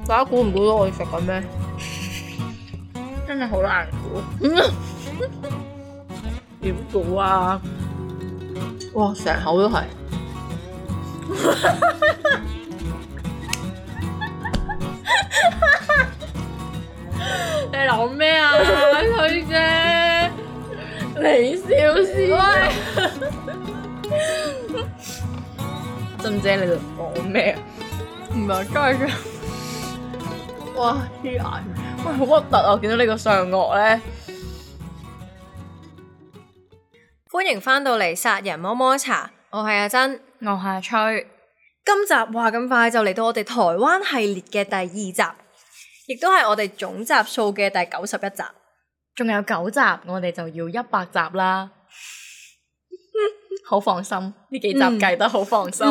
大家估唔估到我哋食緊咩？真係好難估。點估啊？哇！成口都係。你諗咩啊？佢啫，你笑先。珍姐，你度講咩啊？唔係真係。哇！黐眼，喂，好核突啊！見到呢個上顎咧。歡迎翻到嚟殺人摸摸茶，我係阿珍，我係阿吹。今集話咁快就嚟到我哋台灣系列嘅第2集，亦都係我哋總集數嘅第91集，仲有9集，我哋就要100集啦。好放心，呢幾集計得好放心。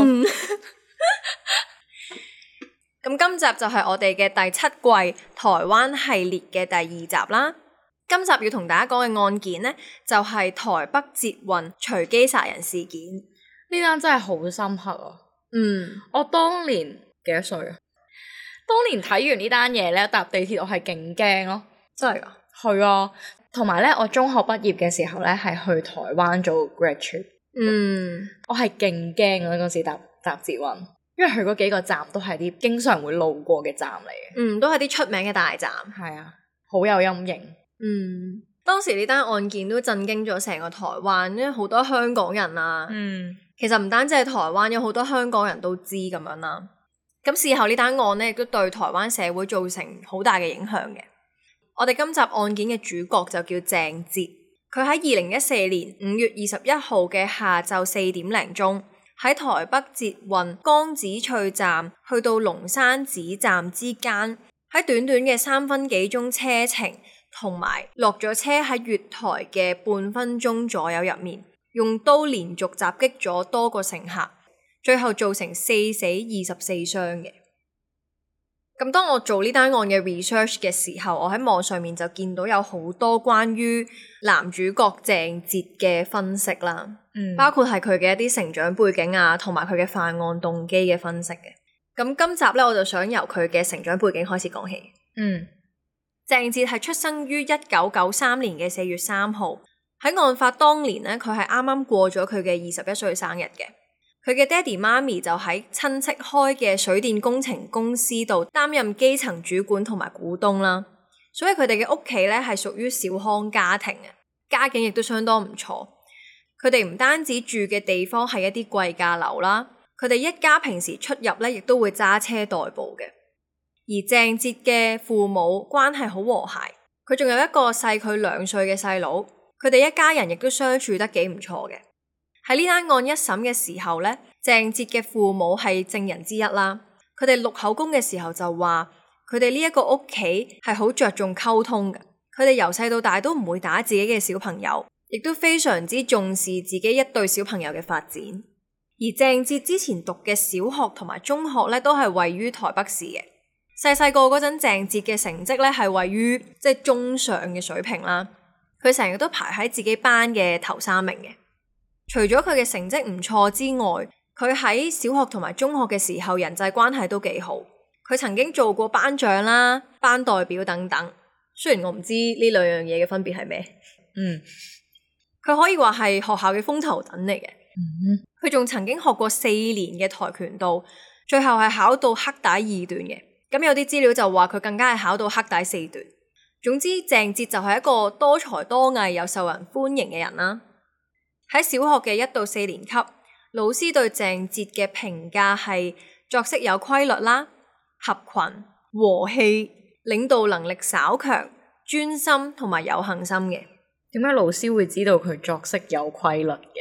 咁今集就係我哋嘅第7季台灣系列嘅第2集啦。今集要同大家講嘅案件呢，就係台北捷運隨機殺人事件。呢單真係好深刻啊！我當年幾多歲啊？當年睇完呢單嘢咧，搭地鐵我係勁驚咯。真係㗎？係啊，同埋咧，我中學畢業嘅時候咧，係去台灣做 grad trip。我係勁驚嗰陣時搭捷運，因為佢嗰幾個站都係啲經常會路過嘅站嚟嘅。都係啲出名嘅大站。係啊，好有陰影。當時呢單案件都震驚咗成個台灣，因為好多香港人啊。其實唔單止係台灣，有好多香港人都知咁樣啦。咁事後呢單案呢，亦都對台灣社會造成好大嘅影響嘅。我哋今集案件嘅主角就叫鄭捷，佢喺2014年5月21號嘅下晝4點零鐘，喺台北捷運江子翠站去到龍山寺站之間，喺短短嘅3分幾鐘車程，同埋落咗車喺月台嘅半分鐘左右入面，用刀連續襲擊咗多個乘客，最後造成4死24傷嘅。咁當我做呢單案嘅 research 嘅時候，我喺網上面就見到有好多關於男主角鄭捷嘅分析啦，包括係佢嘅一啲成長背景啊，同埋佢嘅犯案動機嘅分析嘅。咁今集咧，我就想由佢嘅成長背景開始講起。鄭捷係出生於1993年嘅4月3號，喺案發當年呢，佢係啱啱過咗佢嘅21歲生日嘅。佢嘅爹哋媽咪就喺親戚開嘅水電工程公司度擔任基層主管同埋股東啦，所以佢哋嘅屋企咧係屬於小康家庭嘅，家境亦都相當唔錯。佢哋唔單止住嘅地方係一啲貴價樓啦，佢哋一家平時出入咧亦都會揸車代步嘅。而鄭捷嘅父母關係好和諧，佢仲有一個細佢2歲嘅細佬，佢哋一家人亦都相處得幾唔錯嘅。喺呢單案一審嘅時候呢，鄭捷嘅父母係證人之一啦。佢哋錄口供嘅時候就話，佢哋呢一個屋企係好着重溝通嘅。佢哋由細到大都唔會打自己嘅小朋友，亦都非常之重視自己一對小朋友嘅發展。而鄭捷之前讀嘅小學同埋中學呢，都係位於台北市嘅。細個嗰陣，鄭捷嘅成績呢係位於中上嘅水平啦。佢成日都排喺自己班嘅頭3名嘅。除咗佢嘅成績唔錯之外，佢喺小學同埋中學嘅時候人際關係都幾好。佢曾經做過班長啦、班代表等等。雖然我唔知呢兩樣嘢嘅分別係咩。佢可以話係學校嘅風頭躉嚟嘅。佢仲曾經學過4年嘅跆拳道，最後係考到黑帶2段嘅。咁有啲資料就話佢更加係考到黑帶4段。總之，鄭捷就係一個多才多藝又受人歡迎嘅人啦。喺小學嘅1到4年級，老師對鄭捷嘅評價係作息有規律啦、合群、和氣、領導能力稍強、專心同埋有恒心嘅。點解老師會知道佢作息有規律嘅？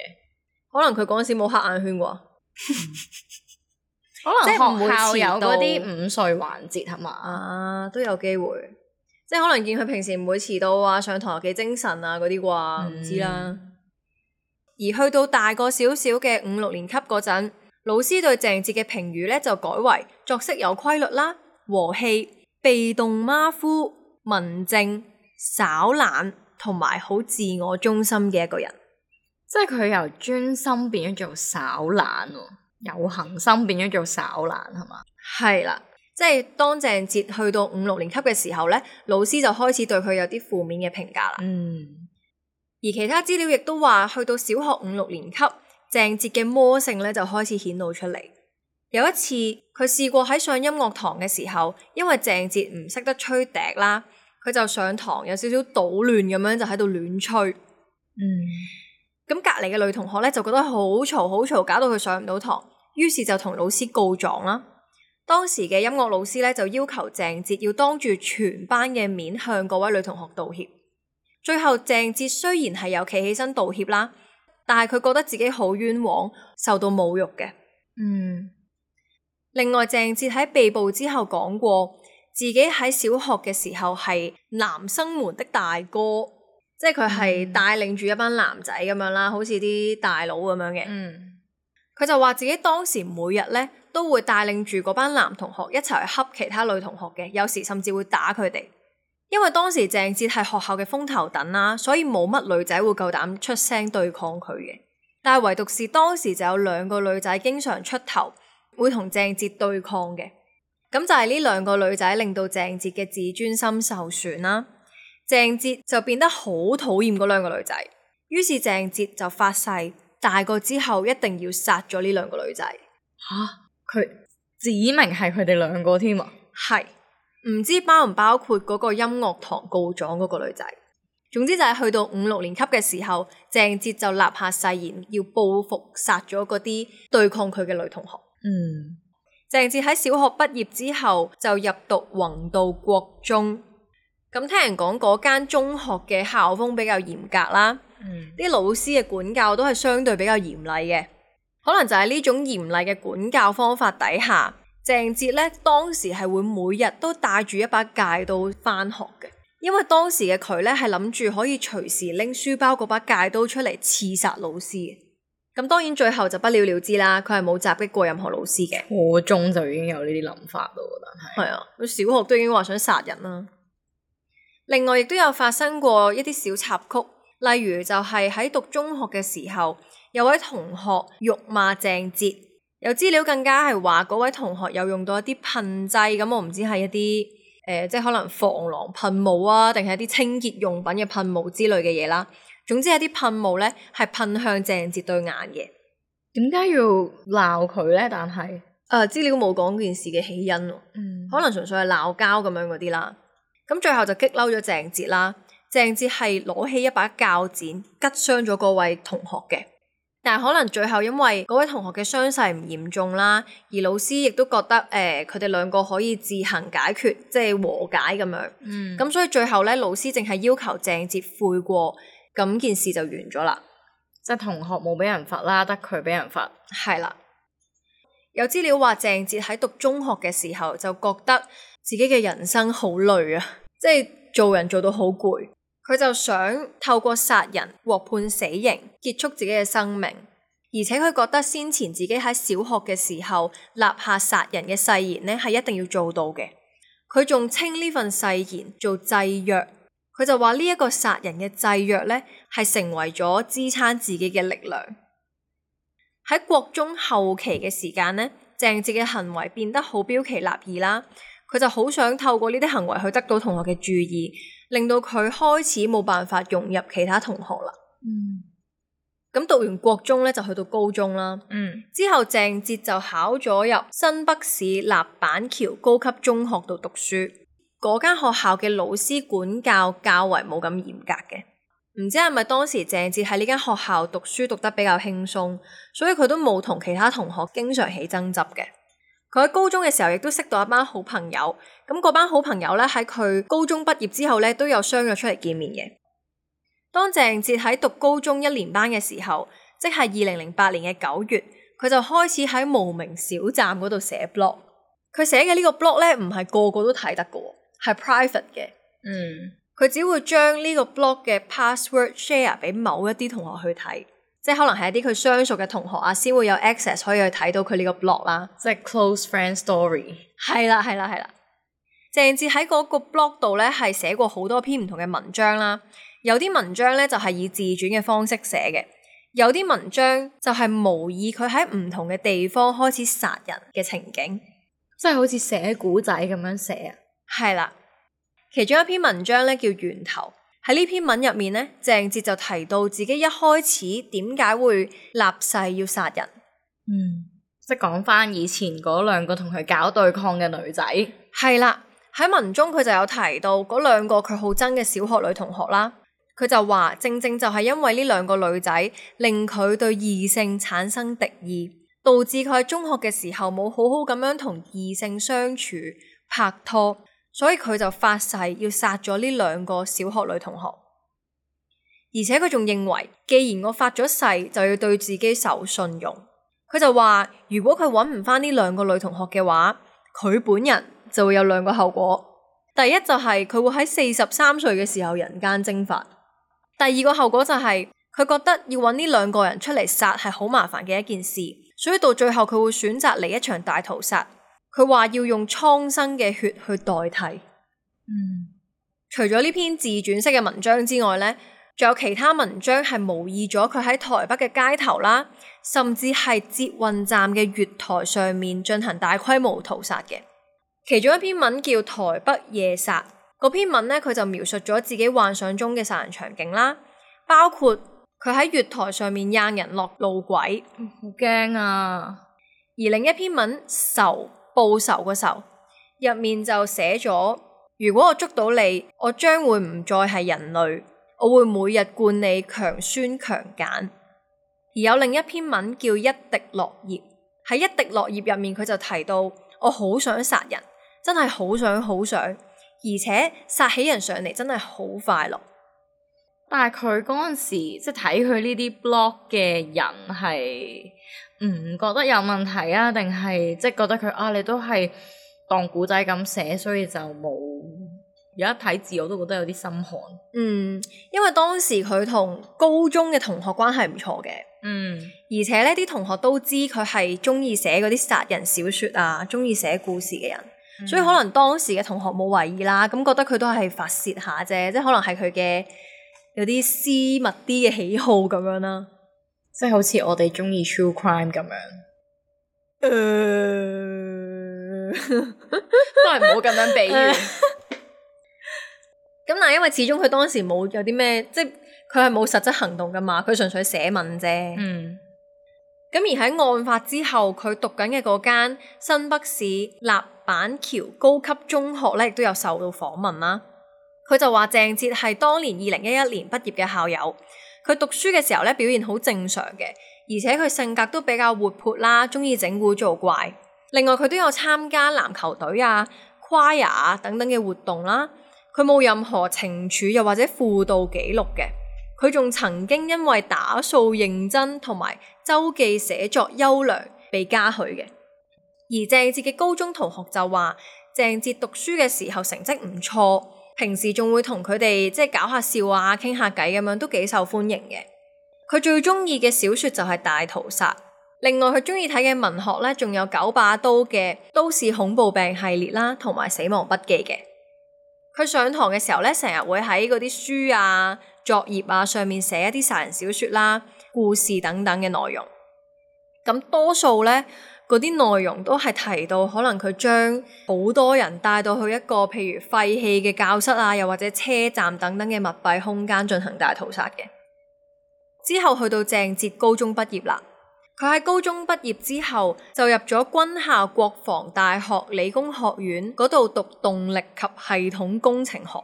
可能佢嗰陣時冇黑眼圈啩。可能學校有嗰啲午睡環節係嘛？都有機會。即係可能見佢平時唔會遲到啊，上堂又幾精神啊嗰啲啩，唔知啦。而去到大個少少嘅5、6年級嗰陣，老師對鄭捷嘅評語咧就改為作息有規律啦、和氣、被動馬虎、文靜、稍懶同埋好自我中心嘅一個人。即係佢由專心變咗做稍懶喎，有恒心變咗做稍懶係嘛？係啦。即係當鄭捷去到5、6年級嘅時候咧，老師就開始對佢有啲負面嘅評價啦。而其他資料亦都話，去到小學5、6年級，鄭捷嘅魔性咧就開始顯露出嚟。有一次，佢試過喺上音樂堂嘅時候，因為鄭捷唔識得吹笛啦，佢就上堂有少少搗亂咁樣，就喺度亂吹。咁隔離嘅女同學咧就覺得好嘈，搞到佢上唔到堂，於是就同老師告狀啦。當時嘅音樂老師咧就要求鄭捷要當住全班嘅面向嗰位女同學道歉。最後鄭捷雖然係有企起身道歉啦，但係佢覺得自己好冤枉，受到侮辱嘅。另外鄭捷喺被捕之後講過，自己喺小學嘅時候係男生們的大哥，即係佢係帶領住一班男仔咁樣啦，好似啲大佬咁樣嘅。佢就話自己當時每日咧都會帶領住嗰班男同學一齊去恰其他女同學嘅，有時甚至會打佢哋。因為當時鄭捷係學校嘅風頭躉啦，所以冇乜女仔會夠膽出聲對抗佢嘅。但係唯獨是當時就有2個女仔經常出頭，會同鄭捷對抗嘅。咁就係呢2個女仔令到鄭捷嘅自尊心受損啦。鄭捷就變得好討厭嗰2個女仔，於是鄭捷就發誓大個之後一定要殺咗呢2個女仔。佢指明係佢哋2個添啊？係，唔知包唔包括嗰個音樂堂告狀嗰個女仔。總之就係去到5、6年級嘅時候，鄭捷就立下誓言要報復殺咗嗰啲對抗佢嘅女同學。鄭捷喺小學畢業之後就入讀弘道國中。咁聽人講嗰間中學嘅校風比較嚴格啦，啲老師嘅管教都係相對比較嚴厲嘅。可能就係呢種嚴厲嘅管教方法底下，鄭捷咧當時係會每日都帶住一把戒刀返學嘅，因為當時嘅佢咧係諗住可以隨時拎書包嗰把戒刀出嚟刺殺老師嘅。咁當然最後就不了了之啦，佢係冇襲擊過任何老師嘅。初中就已經有呢啲諗法咯，但係係啊，佢小學都已經話想殺人啦。另外亦都有發生過一啲小插曲，例如就係喺讀中學嘅時候，有位同學辱罵鄭捷，有資料更加係話嗰位同學有用到一啲噴劑，咁我唔知係一啲即係可能防狼噴霧啊，定係一啲清潔用品嘅噴霧之類嘅嘢啦。總之係啲噴霧咧係噴向鄭捷對眼嘅。點解要鬧佢咧？但係資料冇講件事嘅起因，可能純粹係鬧交咁樣嗰啲啦。咁最後就激嬲咗鄭捷啦。鄭捷係攞起一把鉸剪，拮傷咗嗰位同學嘅。但係可能最後因為嗰位同學嘅傷勢唔嚴重啦，而老師亦都覺得佢哋2個可以自行解決，即係和解咁樣。咁所以最後咧，老師淨係要求鄭捷悔過，咁件事就完咗啦。即係同學冇俾人罰啦，得佢俾人罰。係啦，有資料話鄭捷喺讀中學嘅時候就覺得自己嘅人生好累啊，即係做人做到好攰，佢就想透過殺人獲判死刑，結束自己嘅生命。而且佢覺得先前自己喺小學嘅時候立下殺人嘅誓言呢，係一定要做到嘅。佢仲稱呢份誓言做祭約，佢就話呢一個殺人嘅祭約呢，係成為咗支撐自己嘅力量。喺國中後期嘅時間呢，鄭捷嘅行為變得好標奇立異啦。佢就好想透過呢啲行為去得到同學嘅注意，令到佢開始冇辦法融入其他同學啦。咁讀完國中咧，就去到高中啦。之後鄭捷就考咗入新北市立板橋高級中學度讀書。嗰間學校嘅老師管教較為冇咁嚴格嘅。唔知係咪當時鄭捷喺呢間學校讀書讀得比較輕鬆，所以佢都冇同其他同學經常起爭執嘅。佢喺高中嘅時候亦都識到一班好朋友，咁嗰班好朋友咧喺佢高中畢業之後咧都有相約出嚟見面嘅。當鄭捷喺讀高中1年班嘅時候，即係2008年嘅9月，佢就開始喺無名小站嗰度寫 blog。佢寫嘅呢個 blog 咧唔係個個都睇得嘅，係 private 嘅。佢只會將呢個 blog 嘅 password share 俾某一啲同學去睇。即係可能係一啲佢相熟嘅同學啊，先會有 access 可以去睇到佢呢個 blog 啦。即係 close friend story。係啦。鄭捷喺嗰個 blog 度咧係寫過好多篇唔同嘅文章啦。有啲文章咧就係以自傳嘅方式寫嘅，有啲文章就係模擬佢喺唔同嘅地方開始殺人嘅情景。即係好似寫古仔咁樣寫啊。係啦，其中一篇文章咧叫《源頭》。喺呢篇文入面咧，鄭捷就提到自己一開始點解會立誓要殺人。即係講翻以前嗰兩個同佢搞對抗嘅女仔。係啦，喺文中佢就有提到嗰兩個佢好憎嘅小學女同學啦。佢就話正正就係因為呢兩個女仔令佢對異性產生敵意，導致佢喺中學嘅時候冇好好咁樣同異性相處拍拖，所以佢就發誓要殺咗呢兩個小學女同學。而且佢仲認為，既然我發咗誓，就要對自己守信用。佢就話，如果佢揾唔翻呢兩個女同學嘅話，佢本人就會有兩個後果。第一就係佢會喺43歲嘅時候人間蒸發。第二個後果就係佢覺得要揾呢兩個人出嚟殺係好麻煩嘅一件事，所以到最後佢會選擇嚟一場大屠殺。佢話要用蒼生嘅血去代替。除咗呢篇自傳式嘅文章之外呢，仲有其他文章係模擬咗佢喺台北嘅街頭啦，甚至係捷運站嘅月台上面進行大規模屠殺嘅。其中一篇文叫《台北夜殺》，嗰篇文呢，佢就描述咗自己幻想中嘅殺人場景啦，包括佢喺月台上面掟人落路軌，好驚啊！而另一篇文仇，報仇個仇，入面就寫咗，如果我捉到你，我將會唔再係人類，我會每日灌你強酸強鹼。而有另一篇文叫一滴落葉，喺一滴落葉入面佢就提到，我好想殺人，真係好想，而且殺起人上嚟真係好快樂。但係佢嗰陣時即係睇佢呢啲 blog 嘅人係唔覺得有問題啊？定係即係覺得佢啊你都係當古仔咁寫，所以就冇。而家睇字我都覺得有啲心寒。因為當時佢同高中嘅同學關係唔錯嘅。而且呢啲同學都知佢係中意寫嗰啲殺人小說啊，中意寫故事嘅人。所以可能當時嘅同學冇懷疑啦，咁覺得佢都係發洩下啫，即係可能係佢嘅有啲私密啲嘅喜好咁樣啦，即係好似我哋中意 true crime 咁樣。都係唔好咁樣比喻。咁但係因為始終佢當時冇有啲咩，即係佢係冇實質行動噶嘛，佢純粹寫文啫。咁而喺案發之後，佢讀緊嘅嗰間新北市立板橋高級中學咧，亦都有受到訪問啦。佢就話鄭捷係當年2011年畢業嘅校友，佢讀書嘅時候咧表現好正常嘅，而且佢性格都比較活潑啦，中意整蠱做怪。另外佢都有參加籃球隊啊、choir 啊等等嘅活動啦。佢冇任何懲處又或者輔導記錄嘅。佢仲曾經因為打掃認真同埋周記寫作優良被嘉許嘅。而鄭捷嘅高中同學就話，鄭捷讀書嘅時候成績唔錯，平時仲會同佢哋即係搞下笑啊、傾下偈咁樣，都幾受歡迎嘅。佢最中意嘅小說就係大屠殺。另外佢中意睇嘅文學咧，仲有九把刀嘅都市恐怖病系列啦，同埋死亡筆記嘅。佢上堂嘅時候咧，成日會喺嗰啲書啊、作業啊上面寫一啲殺人小說啦、故事等等嘅內容。咁多數咧，嗰啲內容都係提到可能佢將好多人帶到去一個譬如廢棄嘅教室啊，又或者車站等等嘅密閉空間進行大屠殺嘅。之後去到鄭捷高中畢業啦。佢喺高中畢業之後就入咗軍校國防大學理工學院嗰度讀動力及系統工程學，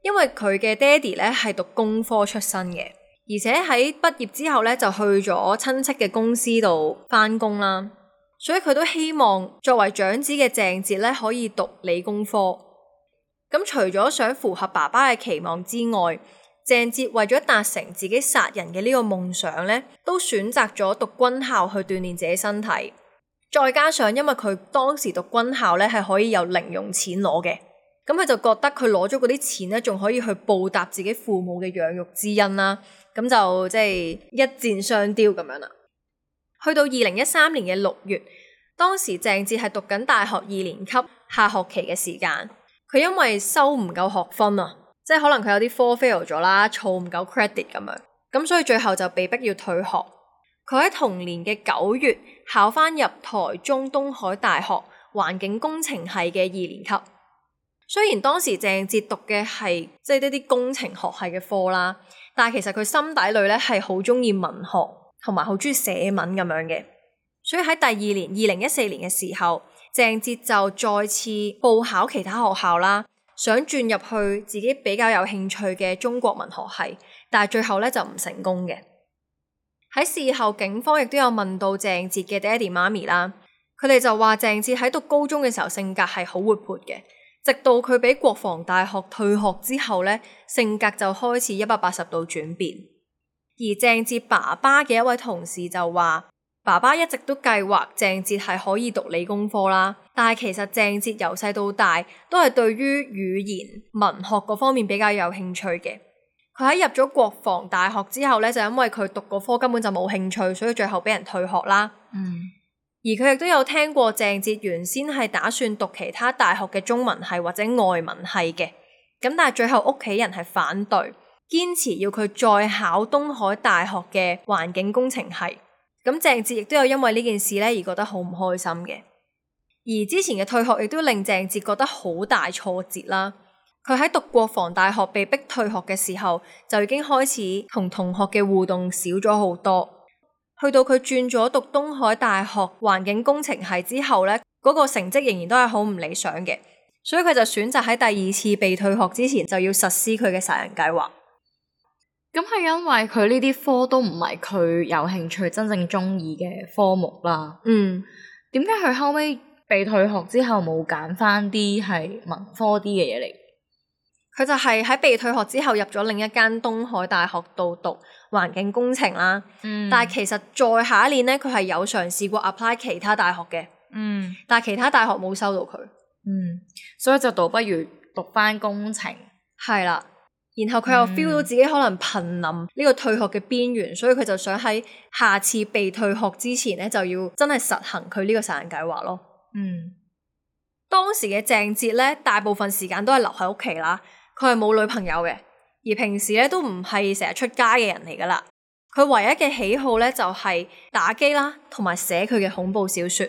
因為佢嘅爹哋咧係讀工科出身嘅，而且喺畢業之後咧就去咗親戚嘅公司度返工啦，所以佢都希望作為長子嘅鄭捷咧可以讀理工科。咁除咗想符合爸爸嘅期望之外，鄭捷為咗達成自己殺人嘅呢個夢想咧，都選擇咗讀軍校去鍛鍊自己身體。再加上因為佢當時讀軍校咧係可以有零用錢攞嘅，咁佢就覺得佢攞咗嗰啲錢咧，仲可以去報答自己父母嘅養育之恩啦。咁就即係一箭雙雕咁樣啦。去到2013年嘅6月，當時鄭捷係讀緊大學2年級下學期嘅時間，佢因為收唔夠學分啊。即係可能佢有啲科 fail 咗啦，儲唔夠 credit 咁樣，咁所以最後就被逼要退學。佢喺同年嘅9月考翻入台中東海大學環境工程系嘅2年級。雖然當時鄭捷讀嘅係即係一啲工程學系嘅科啦，但係其實佢心底裏咧係好中意文學同埋好中意寫文咁樣嘅。所以喺第2年2014年嘅時候，鄭捷就再次報考其他學校啦，想轉入去自己比較有興趣嘅中國文學系，但係最後咧就唔成功嘅。喺事後，警方亦都有問到鄭捷嘅爹哋媽咪啦，佢哋就話鄭捷喺讀高中嘅時候性格係好活潑嘅，直到佢俾國防大學退學之後咧，性格就開始180度轉變。而鄭捷爸爸嘅一位同事就話，爸爸一直都計劃鄭捷係可以讀理工科啦，但係其實鄭捷由細到大都係對於語言文學嗰方面比較有興趣嘅。佢喺入咗國防大學之後咧，就因為佢讀嗰科根本就冇興趣，所以最後俾人退學啦。而佢亦都有聽過鄭捷原先係打算讀其他大學嘅中文系或者外文系嘅，咁但係最後屋企人係反對，堅持要佢再考東海大學嘅環境工程系。咁鄭捷亦都有因為呢件事咧而覺得好唔開心嘅。而之前嘅退學亦都令鄭捷覺得好大挫折啦。佢喺讀國防大學被逼退學嘅時候，就已經開始同同學嘅互動少咗好多。去到佢轉咗讀東海大學環境工程系之後咧，嗰個成績仍然都係好唔理想嘅，所以佢就選擇喺第2次被退學之前就要實施佢嘅殺人計劃。咁係因為佢呢啲科都唔係佢有興趣真正中意嘅科目啦。點解佢後尾被退學之後冇揀翻啲係文科啲嘅嘢嚟？佢就係喺被退學之後入咗另一間東海大學度讀環境工程啦。但係其實再下一年咧，佢係有嘗試過 apply 其他大學嘅。但係其他大學冇收到佢。所以就倒不如讀翻工程。係啦，然後佢又 feel 到自己可能瀕臨呢個退學嘅邊緣，所以佢就想喺下次被退學之前咧，就要真係實行佢呢個殺人計劃咯。當時嘅鄭捷咧，大部分時間都係留喺屋企啦。佢係冇女朋友嘅，而平時咧都唔係成日出街嘅人嚟噶啦。佢唯一嘅喜好咧就係打機啦，同埋寫佢嘅恐怖小說。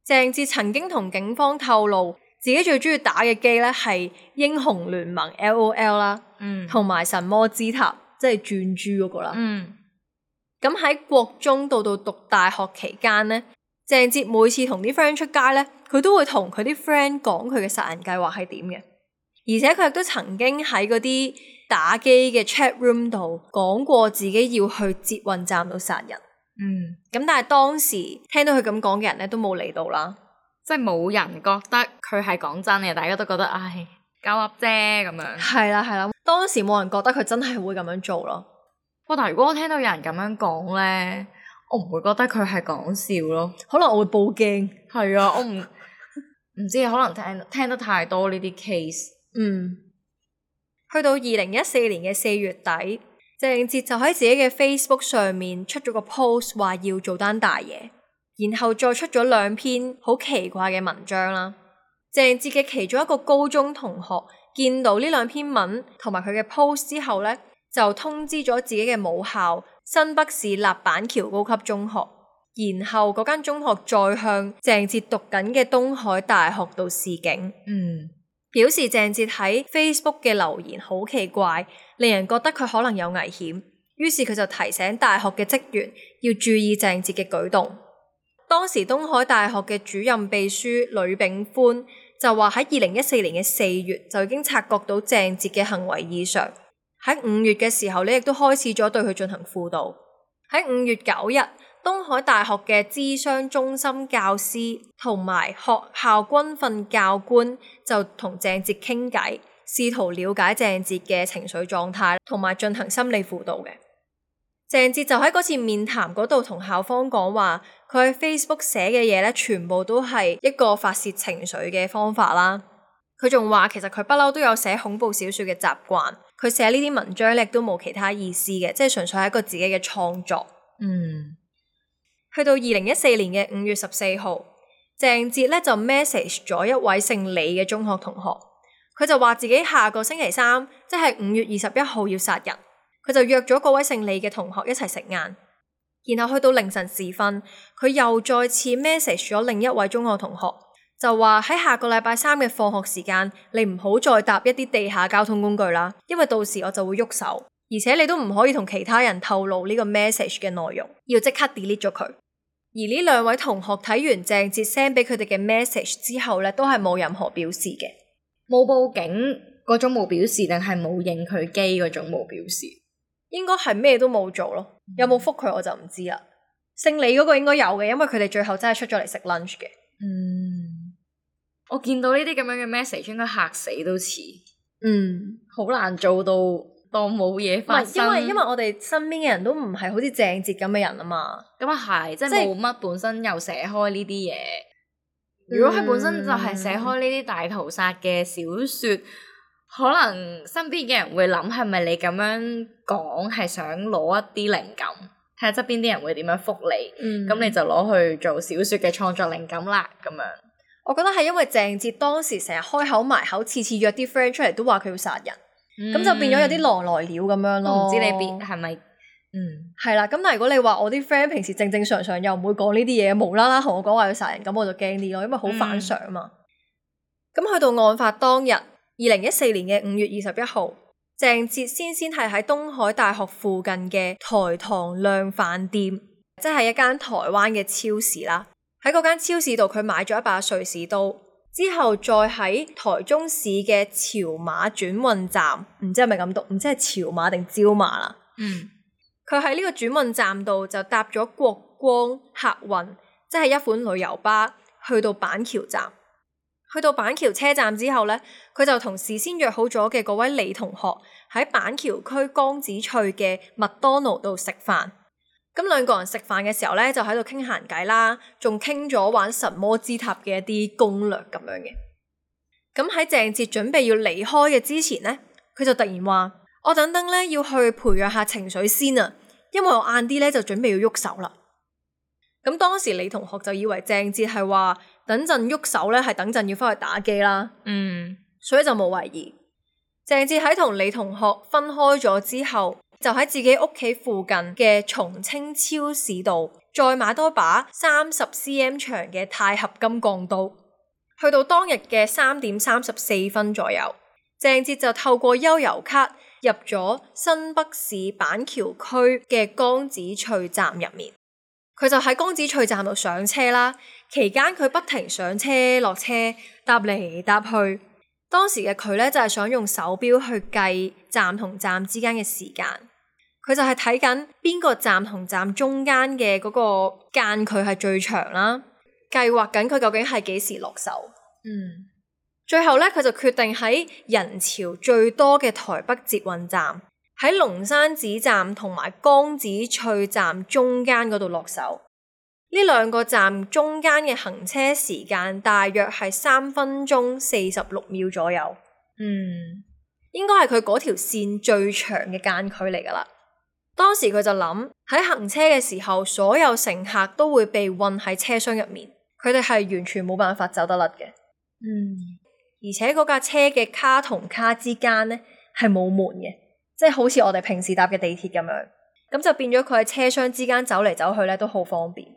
鄭捷曾經同警方透露，自己最中意打嘅機咧係英雄聯盟 LOL 啦，同埋神魔之塔，即係轉珠嗰個啦。咁喺國中到讀大學期間咧，鄭捷每次同啲 friend 出街咧，佢都會同佢啲 friend 講佢嘅殺人計劃係點嘅。而且佢亦都曾經喺嗰啲打機嘅 chat room 度講過自己要去捷運站度殺人。咁但係當時聽到佢咁講嘅人咧都冇嚟到啦，即係冇人覺得佢係講真嘅，大家都覺得唉鳩噏啫咁樣。係啦，當時冇人覺得佢真係會咁樣做咯。但係如果我聽到有人咁樣講咧，我唔會覺得佢係講笑咯，可能我會報警。係啊，我唔知，可能聽得太多呢啲 case。去到2014年嘅4月底，鄭捷就喺自己嘅 Facebook 上面出咗個 post 話要做單大嘢，然後再出咗2篇好奇怪嘅文章啦。鄭捷嘅其中一個高中同學見到呢2篇文同埋佢嘅 post 之後咧，就通知咗自己嘅母校新北市立板橋高級中學，然後嗰間中學再向鄭捷讀緊嘅東海大學度示警。表示鄭捷喺 Facebook 嘅留言好奇怪，令人覺得佢可能有危險，於是佢就提醒大學嘅職員要注意鄭捷嘅舉動。當時東海大學嘅主任秘書呂炳寬就話喺2014年嘅4月就已經察覺到鄭捷嘅行為異常，喺5月嘅時候呢亦都開始咗對佢進行輔導。喺5月9日，東海大學嘅諮商中心教師同埋學校軍訓教官就同鄭捷傾偈，試圖了解鄭捷嘅情緒狀態同埋進行心理輔導嘅。鄭捷就喺嗰次面談嗰度同校方講話，佢喺 Facebook 寫嘅嘢咧，全部都係一個發洩情緒嘅方法啦。佢仲話其實佢不嬲都有寫恐怖小說嘅習慣，佢寫呢啲文章咧都冇其他意思嘅，即係純粹係一個自己嘅創作。去到2014年嘅5月14號，鄭捷咧就 message 咗一位姓李嘅中學同學，佢就話自己下個星期3，即係5月21號要殺人，佢就約咗嗰位姓李嘅同學一齊食晏。然後去到凌晨時分，佢又再次 message 咗另一位中學同學，就話喺下個禮拜3嘅放學時間，你唔好再搭一啲地下交通工具啦，因為到時我就會喐手，而且你都唔可以同其他人透露呢個 message 嘅內容，要即刻 delete 咗佢。而呢兩位同學睇完鄭捷 send 俾佢哋嘅 message 之後咧，都係冇任何表示嘅，冇報警嗰種冇表示，定係冇應佢機嗰種冇表示？應該係咩都冇做咯。有冇覆佢我就唔知啦。姓李嗰個應該有嘅，因為佢哋最後真係出咗嚟食 lunch 嘅。我見到呢啲咁樣嘅 message 應該嚇死都似。好難做到當冇嘢發生。因為我哋身邊嘅人都唔係好似鄭捷咁嘅人啊嘛。咁啊係，即係冇乜本身又寫開呢啲嘢。如果佢本身就係寫開呢啲大屠殺嘅小說，可能身邊嘅人會諗係咪你咁樣講係想攞一啲靈感，睇下側邊啲人會點樣覆你，咁你就攞去做小說嘅創作靈感啦咁樣。我覺得係因為鄭捷當時成日開口埋口，次次約啲 friend 出嚟都話佢要殺人，咁就變咗有啲狼來了咁樣咯。唔知你邊係咪？係啦。咁但係如果你話我啲 friend 平時正正常常又唔會講呢啲嘢，無啦啦同我講話要殺人，咁我就驚啲咯，因為好反常啊嘛。咁去到案發當日，2014年嘅5月21號，鄭捷先係喺東海大學附近嘅台糖量販店，即係一間台灣嘅超市啦。喺嗰間超市度，佢買咗一把瑞士刀，之後再喺台中市嘅潮馬轉運站，唔知係咪咁讀，唔知係潮馬定招馬啦。佢喺呢個轉運站度就搭咗國光客運，即係一款旅遊巴，去到板橋站。去到板橋車站之後呢，佢就同事先約好咗嘅嗰位李同學喺板橋區江子翠嘅麥當勞度食飯。咁兩個人食飯嘅時候呢，就喺度傾閒偈啦，仲傾咗玩神魔之塔嘅一啲攻略咁樣嘅。咁喺鄭捷準備要離開嘅之前呢，佢就突然話：我等等呢要去培養下情緒先啊，因為我晏啲呢就準備要喐手啦。咁當時李同學就以為鄭捷係話等陣喐手呢係等陣要翻去打機啦，所以就冇懷疑。鄭捷喺同李同學分開咗之後，就喺自己屋企附近嘅松青超市度再買多把30cm 長嘅鈦合金鋼刀。去到當日嘅3點34分左右，鄭捷就透過悠遊卡入咗新北市板橋區嘅江子翠站入面。佢就喺江子翠站度上車啦，期間佢不停上車落車，搭嚟搭去。當時嘅佢呢，就係想用手錶去計站同站之間嘅時間。佢就係睇緊邊個站同站中間嘅嗰個間距係最長啦，計劃緊佢究竟係幾時落手。最後呢，佢就決定喺人潮最多嘅台北捷運站，喺龍山寺站同埋江子翠站中間嗰度落手。呢兩個站中間嘅行車時間大約係3分鐘46秒左右。應該係佢嗰條線最長嘅間距嚟噶啦。當時佢就諗，喺行車嘅時候，所有乘客都會被困喺車廂入面，佢哋係完全冇辦法走得甩嘅。而且嗰架車嘅卡同卡之間呢係冇門嘅，即係好似我哋平時搭嘅地鐵咁樣，咁就變咗佢喺車廂之間走嚟走去咧都好方便。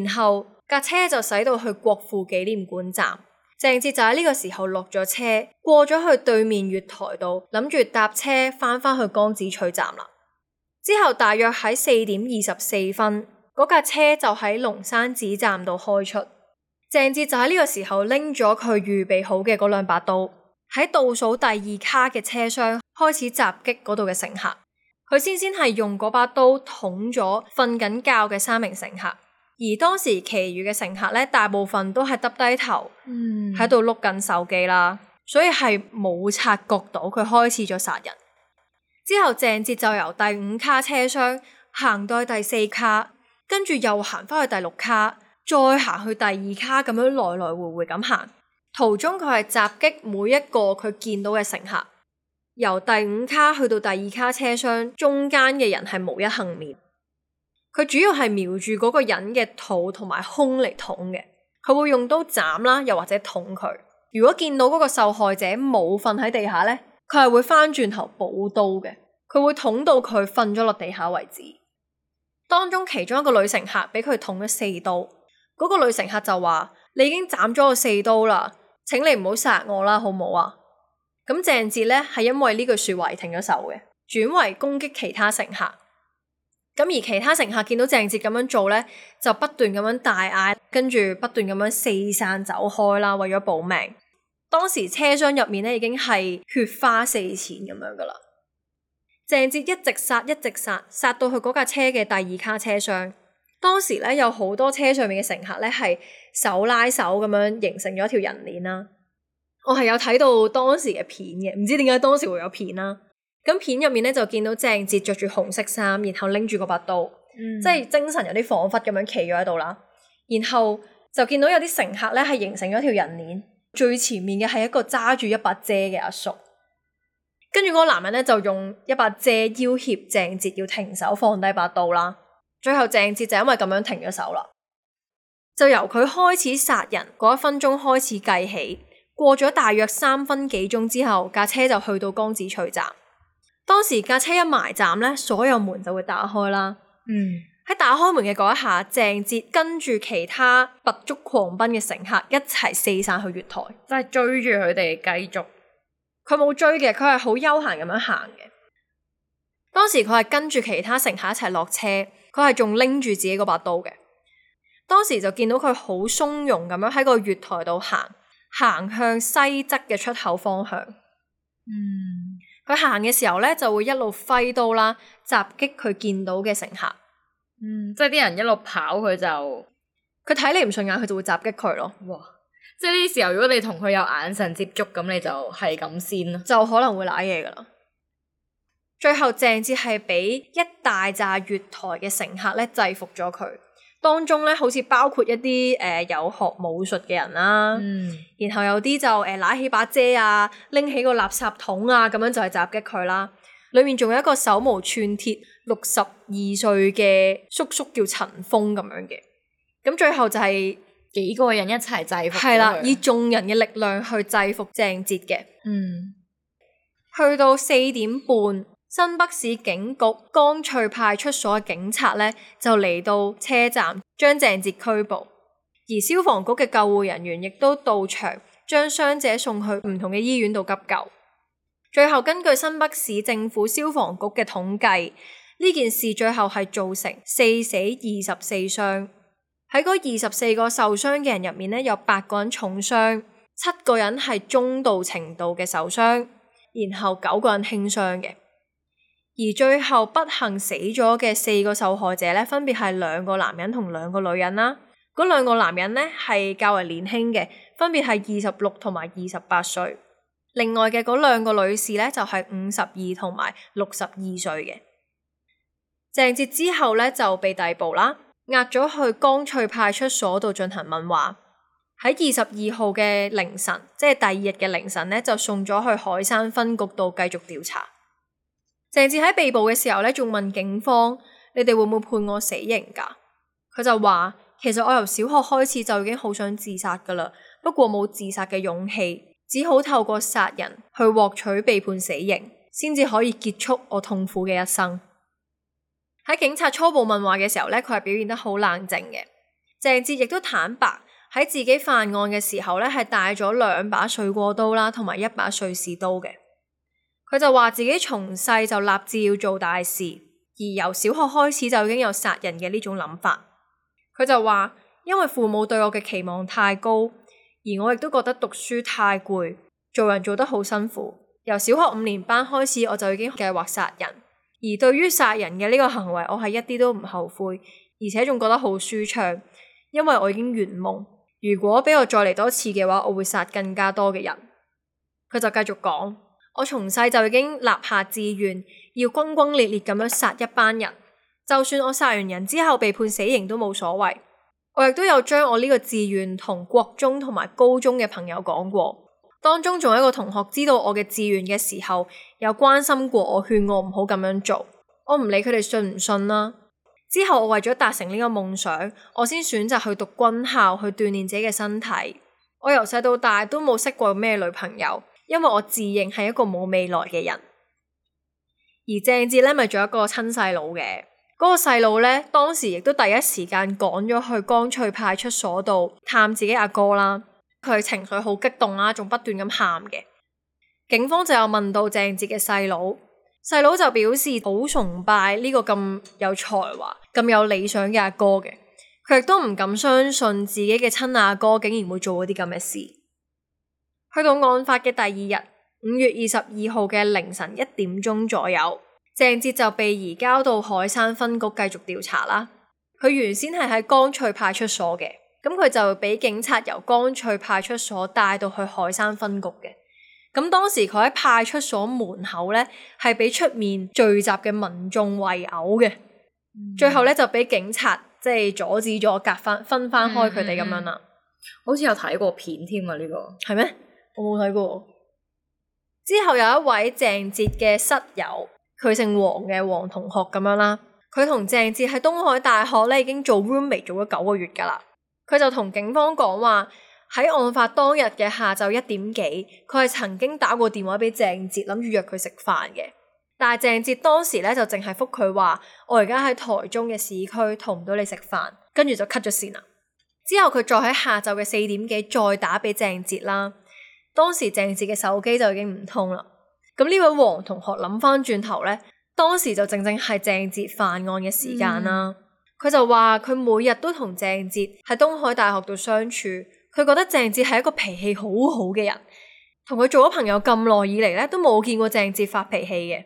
然後架車就駛到去國父紀念館站。鄭捷就喺呢個時候落咗車，過咗去對面月台度，諗住搭車翻去江子翠站啦。之後大約喺4點24分，嗰架車就喺龍山寺站度開出。鄭捷就喺呢個時候拎咗佢預備好嘅嗰兩把刀，喺倒數第2卡嘅車廂開始襲擊嗰度嘅乘客。佢先係用嗰把刀捅咗瞓緊覺嘅3名乘客。而當時其餘嘅乘客咧，大部分都係耷低頭喺度碌緊手機啦，所以係冇察覺到佢開始咗殺人。之後鄭捷就由第5卡車廂行到去第4卡，跟住又行翻去第6卡，再行去第2卡，咁樣來來回回咁行。途中佢係襲擊每一個佢見到嘅乘客，由第5卡去到第2卡車廂中間嘅人係無一幸免。佢主要係瞄住嗰個人嘅肚同埋胸嚟捅嘅，佢會用刀斬啦，又或者捅佢。如果見到嗰個受害者冇瞓喺地下呢，佢係會翻轉頭補刀嘅，佢會捅到佢瞓咗落地下為止。當中其中一個女乘客俾佢捅咗4刀，嗰個女乘客就話：你已經斬咗我4刀啦，請你唔好殺我啦，好唔好啊？咁鄭捷咧係因為呢句說話而停咗手嘅，轉為攻擊其他乘客。咁而其他乘客見到鄭捷咁樣做咧，就不斷咁樣大嗌，跟住不斷咁樣四散走開啦，為咗保命。當時車廂入面咧已經係血花四濺咁樣噶啦。鄭捷一直殺，殺到去嗰架車嘅第2卡車廂。當時咧有好多車上面嘅乘客咧係手拉手咁樣形成咗一條人鏈啦。我係有睇到當時嘅片嘅，唔知點解當時會有片啦。咁片入面咧就見到鄭捷着住紅色衫，然後拎住嗰把刀，即係精神有啲恍惚咁樣企咗喺度啦。然後就見到有啲乘客咧係形成咗條人鏈，最前面嘅係一個揸住一把遮嘅阿叔，跟住嗰個男人咧就用一把遮要挾鄭捷要停手放低把刀啦。最後鄭捷就因為咁樣停咗手啦，就由佢開始殺人嗰1分鐘開始計起，過咗大約3分幾鐘之後，架車就去到江子翠站。當時架車一埋站咧，所有門就會打開啦。喺打開門嘅嗰一下，鄭捷跟住其他拔足狂奔嘅乘客一齊四散去月台，即係追住佢哋繼續。佢冇追嘅，佢係好悠閒咁樣行嘅。當時佢係跟住其他乘客一齊落車，佢係仲拎住自己嗰把刀嘅。當時就見到佢好鬆容咁樣喺個月台度行向西側嘅出口方向。佢行嘅時候咧，就會一路揮刀啦，襲擊佢見到嘅乘客。即係啲人一路跑，佢睇你唔順眼，佢就會襲擊佢咯。哇！即係呢啲時候，如果你同佢有眼神接觸，咁你就係咁先咯，就可能會瀨嘢噶啦。最後鄭捷係俾一大紮月台嘅乘客咧制服咗佢，當中咧好似包括一啲有學武術嘅人啦，然後有啲就拿起把遮啊，拎起個垃圾桶啊，咁樣就係襲擊佢啦。裏面仲有一個手無寸鐵62歲嘅叔叔叫陳峰咁樣嘅。咁最後就係幾個人一齊制服，係啦，以眾人嘅力量去制服鄭捷嘅。去到4點半，新北市警局江翠派出所嘅警察咧就嚟到車站將鄭捷拘捕，而消防局嘅救護人員亦都到場將傷者送去唔同嘅醫院度急救。最後根據新北市政府消防局嘅統計，呢件事最後係造成4死24傷。喺嗰24個受傷嘅人入面咧，有8個人重傷，7個人係中度程度嘅受傷，然後9個人輕傷嘅。而最後不幸死咗嘅4個受害者咧，分別係2個男人同2個女人啦。嗰2個男人咧係較為年輕嘅，分別係26同埋28歲。另外嘅嗰2個女士咧就係52同埋62歲嘅。鄭捷之後咧就被逮捕啦，押咗去江翠派出所度進行問話。喺22號嘅凌晨，即係第2日嘅凌晨咧，就送咗去海山分局度繼續調查。鄭捷喺被捕嘅時候咧，仲問警方：你哋會唔會判我死刑㗎？佢就話：其實我由小學開始就已經好想自殺㗎啦，不過冇自殺嘅勇氣，只好透過殺人去獲取被判死刑，先至可以結束我痛苦嘅一生。喺警察初步問話嘅時候咧，佢係表現得好冷靜嘅。鄭捷亦都坦白喺自己犯案嘅時候咧，係帶咗2把水果刀啦，同埋1把瑞士刀嘅。佢就話自己從細就立志要做大事，而由小學開始就已經有殺人嘅呢種諗法。佢就話因為父母對我嘅期望太高，而我亦都覺得讀書太攰，做人做得好辛苦。由小學5年班開始，我就已經計劃殺人，而對於殺人嘅呢個行為，我係一啲都唔後悔，而且仲覺得好舒暢，因為我已經圓夢。如果俾我再嚟多次嘅話，我會殺更加多嘅人。佢就繼續講：我從細就已經立下志願，要轟轟烈烈咁樣殺一班人，就算我殺完人之後被判死刑都冇所謂。我亦都有將我呢個志願同國中同埋高中嘅朋友講過，當中仲有一個同學知道我嘅志願嘅時候，有關心過我，勸我唔好咁樣做。我唔理佢哋信唔信啦。之後我為咗達成呢個夢想，我先選擇去讀軍校，去鍛煉自己嘅身體。我由細到大都冇識過咩女朋友，因為我自認係一個冇未來嘅人。而鄭捷咧咪仲有一個親細佬嘅，嗰個細路咧，當時亦都第一時間趕咗去江翠派出所度探自己阿哥啦。佢情緒好激動啦，仲不斷咁喊嘅。警方就有問到鄭捷嘅細佬，細佬就表示好崇拜呢個咁有才華、咁有理想嘅阿哥嘅。佢亦都唔敢相信自己嘅親阿哥竟然會做嗰啲咁嘅事。去到案發嘅第二日，5月22號嘅凌晨1點鐘左右，鄭捷就被移交到海山分局繼續調查啦。佢原先係喺江翠派出所嘅，咁佢就俾警察由江翠派出所帶到去海山分局嘅。咁當時佢喺派出所門口咧，係俾出面聚集嘅民眾圍毆嘅。最後咧就俾警察即係阻止咗，分翻開佢哋咁樣啦。好似有睇過片添啊，呢個係咩？我冇睇過。之後有一位鄭捷嘅室友，佢姓黃嘅黃同學咁樣啦。佢同鄭捷喺東海大學咧已經做 roommate 做咗9個月噶啦。佢就同警方講話喺案發當日嘅下晝1點幾，佢係曾經打過電話俾鄭捷，諗住約佢食飯嘅。但係鄭捷當時咧就淨係覆佢話：我而家喺台中嘅市區，同唔到你食飯，跟住就 cut 咗線啦。之後佢再喺下晝嘅4點幾再打俾鄭捷啦。當時鄭捷嘅手機就已經唔通啦。咁呢位黃同學諗翻轉頭咧，當時就正係鄭捷犯案嘅時間啦。佢就話佢每日都同鄭捷喺東海大學度相處，佢覺得鄭捷係一個脾氣好好嘅人，同佢做咗朋友咁耐以嚟咧，都冇見過鄭捷發脾氣嘅。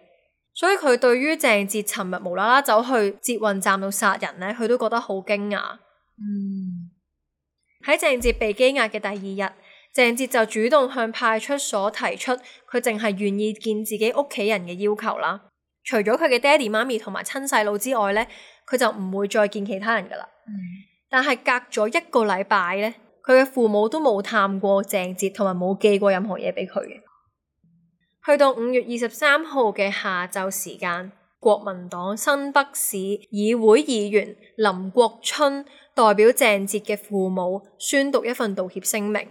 所以佢對於鄭捷尋日無啦啦走去捷運站度殺人咧，佢都覺得好驚訝。喺鄭捷被羈押嘅第2日，鄭捷就主動向派出所提出佢淨係願意見自己屋企人嘅要求啦。除咗佢嘅爹哋媽咪同埋親細佬之外咧，佢就唔會再見其他人噶啦。但係隔咗1個禮拜咧，佢嘅父母都冇探過鄭捷，同埋冇寄過任何嘢俾佢嘅。去到5月23號嘅下晝時間，國民黨新北市議會議員林國春代表鄭捷嘅父母宣讀一份道歉聲明。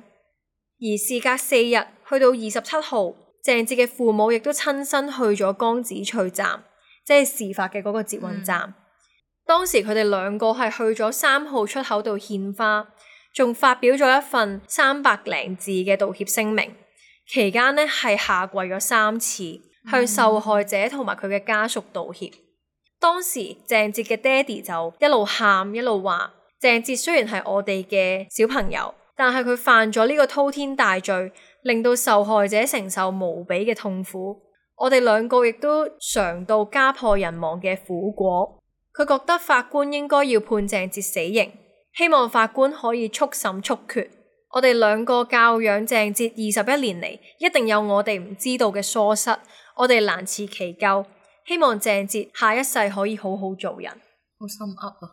而事隔4日，去到27號，鄭捷嘅父母亦都親身去咗江子翠站，即係事發嘅嗰個捷運站。當時佢哋2個係去咗3號出口度獻花，仲發表咗一份300零字嘅道歉聲明。期間呢係下跪咗3次，向受害者同埋佢嘅家屬道歉。當時鄭捷嘅爹哋就一路喊一路話：鄭捷雖然係我哋嘅小朋友，但係佢犯咗呢個滔天大罪，令到受害者承受無比嘅痛苦。我哋2個亦都嘗到家破人亡嘅苦果。佢覺得法官應該要判鄭捷死刑，希望法官可以速審速決。我哋2個教養鄭捷21年嚟，一定有我哋唔知道嘅疏失，我哋難辭其咎。希望鄭捷下一世可以好好做人。好心噏啊！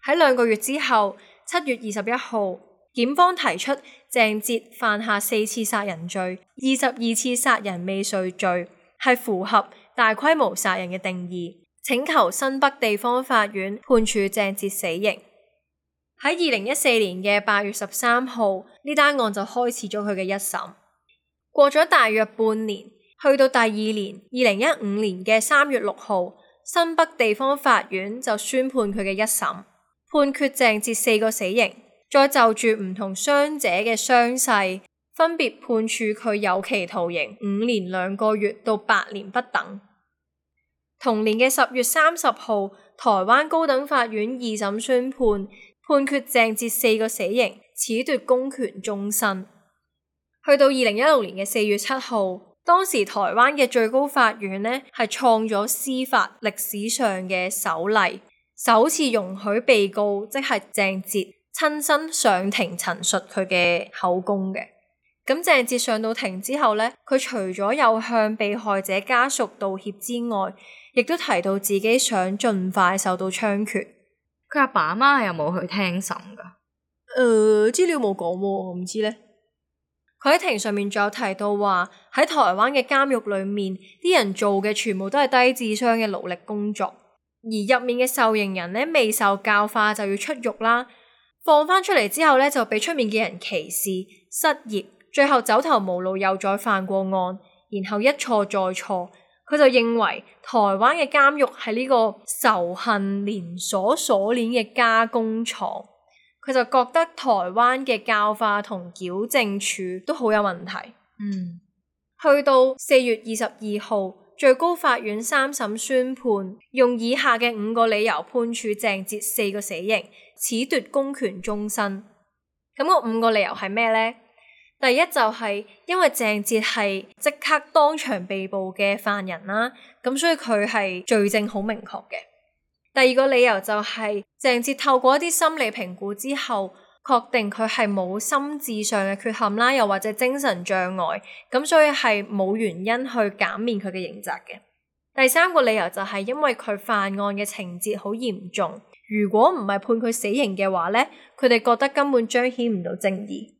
喺2個月之後，7月21號，檢方提出鄭捷犯下4次殺人罪、22次殺人未遂罪，係符合大規模殺人嘅定義，請求新北地方法院判處鄭捷死刑。喺2014年嘅8月13號，呢單案就開始咗佢嘅一審。過咗大約半年，去到第2年2015年嘅3月6號，新北地方法院就宣判佢嘅一審，判決鄭捷4個死刑，再就住唔同傷者嘅傷勢，分別判處佢有期徒刑5年2個月到8年不等。同年嘅10月30號，台灣高等法院2審宣判，判決鄭捷4個死刑，褫奪公權終身。去到2016年嘅4月7號，當時台灣嘅最高法院呢係創咗司法歷史上嘅首例，首次容許被告即係鄭捷親身上庭陳述佢嘅口供嘅。咁鄭捷上到庭之後呢，佢除咗有向被害者家屬道歉之外，亦都提到自己想盡快受到槍決。佢阿爸阿媽係有冇去聽審噶？資料冇講喎，我唔知呢。佢喺庭上面仲有提到話，喺台灣嘅監獄裏面，啲人做嘅全部都係低智商嘅勞力工作，而入面嘅受刑人呢，未受教化就要出獄啦，放翻出嚟之後呢，就俾出面嘅人歧視、失業，最後走投無路又再犯過案，然後一錯再錯，佢就認為台灣嘅監獄係呢個仇恨連鎖鎖鏈嘅加工廠，佢就覺得台灣嘅教化同矯正處都好有問題。去到4月22號，最高法院3審宣判，用以下嘅5個理由判處鄭捷4個死刑，褫奪公權終身。咁個5個理由係咩呢？第一就係因為鄭捷係即刻當場被捕嘅犯人啦，咁所以佢係罪證好明確嘅。第二個理由就係鄭捷透過一啲心理評估之後，確定佢係冇心智上嘅缺陷啦，又或者精神障礙，咁所以係冇原因去減免佢嘅刑責嘅。第三個理由就係因為佢犯案嘅情節好嚴重，如果唔係判佢死刑嘅話咧，佢哋覺得根本彰顯唔到正義。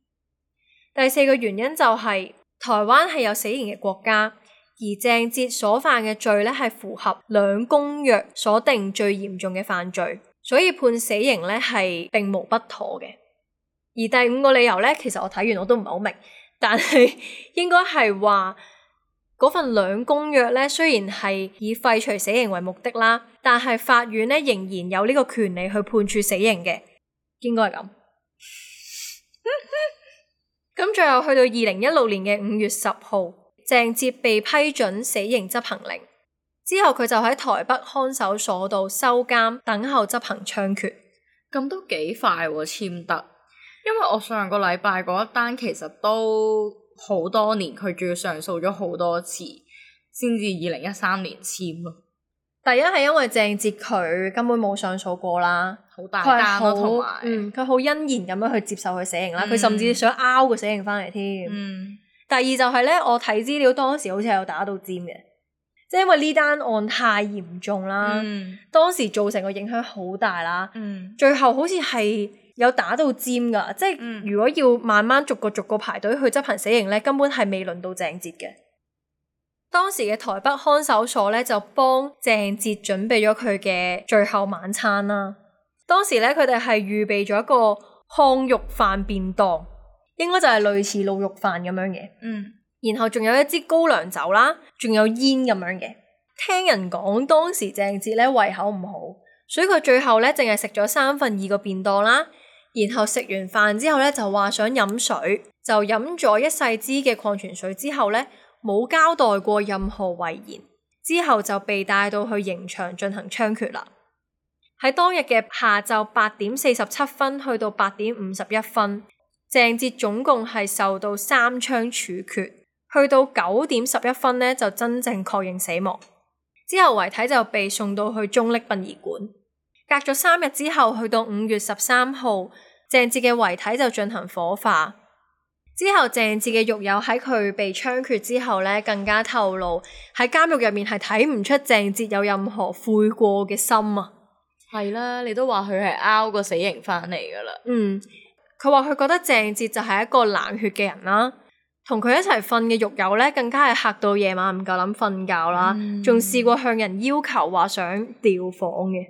第四個原因就係台灣係有死刑嘅國家，而鄭捷所犯嘅罪咧係符合兩公約所定最嚴重嘅犯罪，所以判死刑咧係並無不妥嘅。而第5個理由咧，其實我睇完我都唔係好明，但係應該係話嗰份兩公約咧，雖然係以廢除死刑為目的啦，但係法院咧仍然有呢個權利去判處死刑嘅，應該係咁。咁最後去到2016年嘅5月10號，鄭捷被批准死刑執行令，之後佢就喺台北看守所度收監，等候執行槍決。咁都幾快喎，簽得。因為我上個禮拜嗰一單其實都好多年，佢仲要上訴咗好多次，先至2013年簽咯。第一係因為鄭捷佢根本冇上訴過啦，好大單咯，同埋佢好欣然咁樣去接受佢死刑啦，佢甚至想拗個死刑翻嚟添。第二就係咧，我睇資料當時好似係有打到尖嘅，即係因為呢單案太嚴重啦，當時造成個影響好大啦，最後好似係有打到尖噶，即係如果要慢慢逐個排隊去執行死刑咧，根本係未輪到鄭捷嘅。當時嘅台北看守所咧就幫鄭捷準備咗佢嘅最後晚餐啦。當時咧佢哋係預備咗一個炕肉飯便當，應該就係類似滷肉飯咁樣嘅。然後仲有一支高粱酒啦，仲有煙咁樣嘅。聽人講當時鄭捷咧胃口唔好，所以佢最後咧淨係食咗2/3個便當啦。然後食完飯之後咧就話想飲水，就飲咗一細支嘅礦泉水之後咧，冇交代過任何遺言，之後就被帶到去刑場進行槍決啦。喺當日嘅下晝8點47分去到8點51分，鄭捷總共係受到3槍處決，去到9點11分呢就真正確認死亡。之後遺體就被送到去中壢殯儀館。隔咗3日之後，去到5月13號，鄭捷嘅遺體就進行火化。之後鄭捷嘅獄友喺佢被槍決之後咧，更加透露喺監獄入面係睇唔出鄭捷有任何悔過嘅心啊。係啦，你都話佢係拗個死刑翻嚟噶啦。佢話佢覺得鄭捷就係一個冷血嘅人啦，同佢一齊瞓嘅獄友咧，更加係嚇到夜晚唔夠膽瞓覺啦，仲試過向人要求話想調房嘅。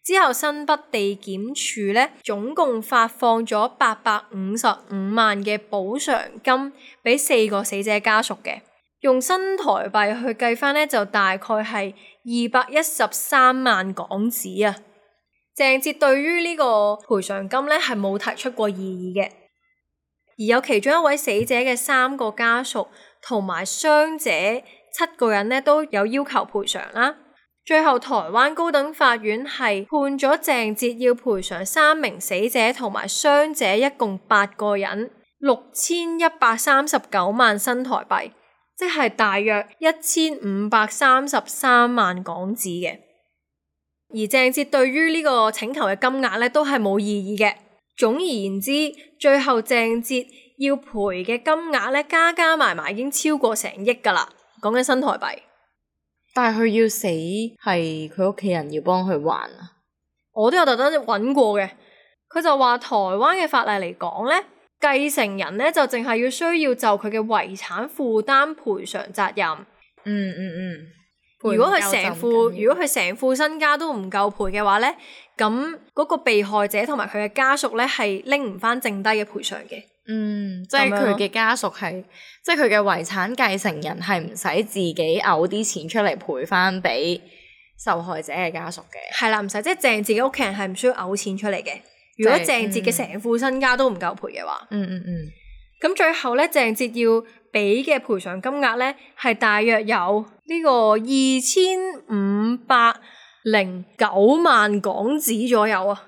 之後新北地檢署咧，總共發放咗855萬嘅補償金俾4個死者家屬嘅，用新台幣去計翻咧，就大概係213萬港紙啊。鄭捷對於呢個賠償金咧係冇提出過異議嘅，而有其中一位死者嘅3個家屬同埋傷者7個人咧都有要求賠償啦。最後台灣高等法院係判咗鄭捷要賠償3名死者同埋傷者一共8個人6139萬新台幣，即係大約1533萬港紙嘅。而鄭捷對於呢個請求嘅金額咧都係冇異議嘅。總而言之，最後鄭捷要賠嘅金額咧加埋埋已經超過成億噶啦，講緊新台幣。但係佢要死係佢屋企人要幫佢還啊？我都有特登揾過嘅，佢就話台灣嘅法例嚟講咧，繼承人咧就淨係要需要就佢嘅遺產負擔賠償責任。如果佢成副身家都唔夠賠嘅話咧，咁嗰個被害者同埋佢嘅家屬咧係拎唔翻剩低嘅賠償嘅。即係佢嘅家屬係，即係佢嘅遺產繼承人係唔使自己嘔啲錢出嚟賠翻俾受害者嘅家屬嘅。係啦，唔使，即係鄭捷嘅屋企人係唔需要嘔錢出嚟嘅。如果鄭捷嘅成副身家都唔夠賠嘅話，咁最後咧，鄭捷要俾嘅賠償金額咧係大約有呢個2509萬港紙左右啊。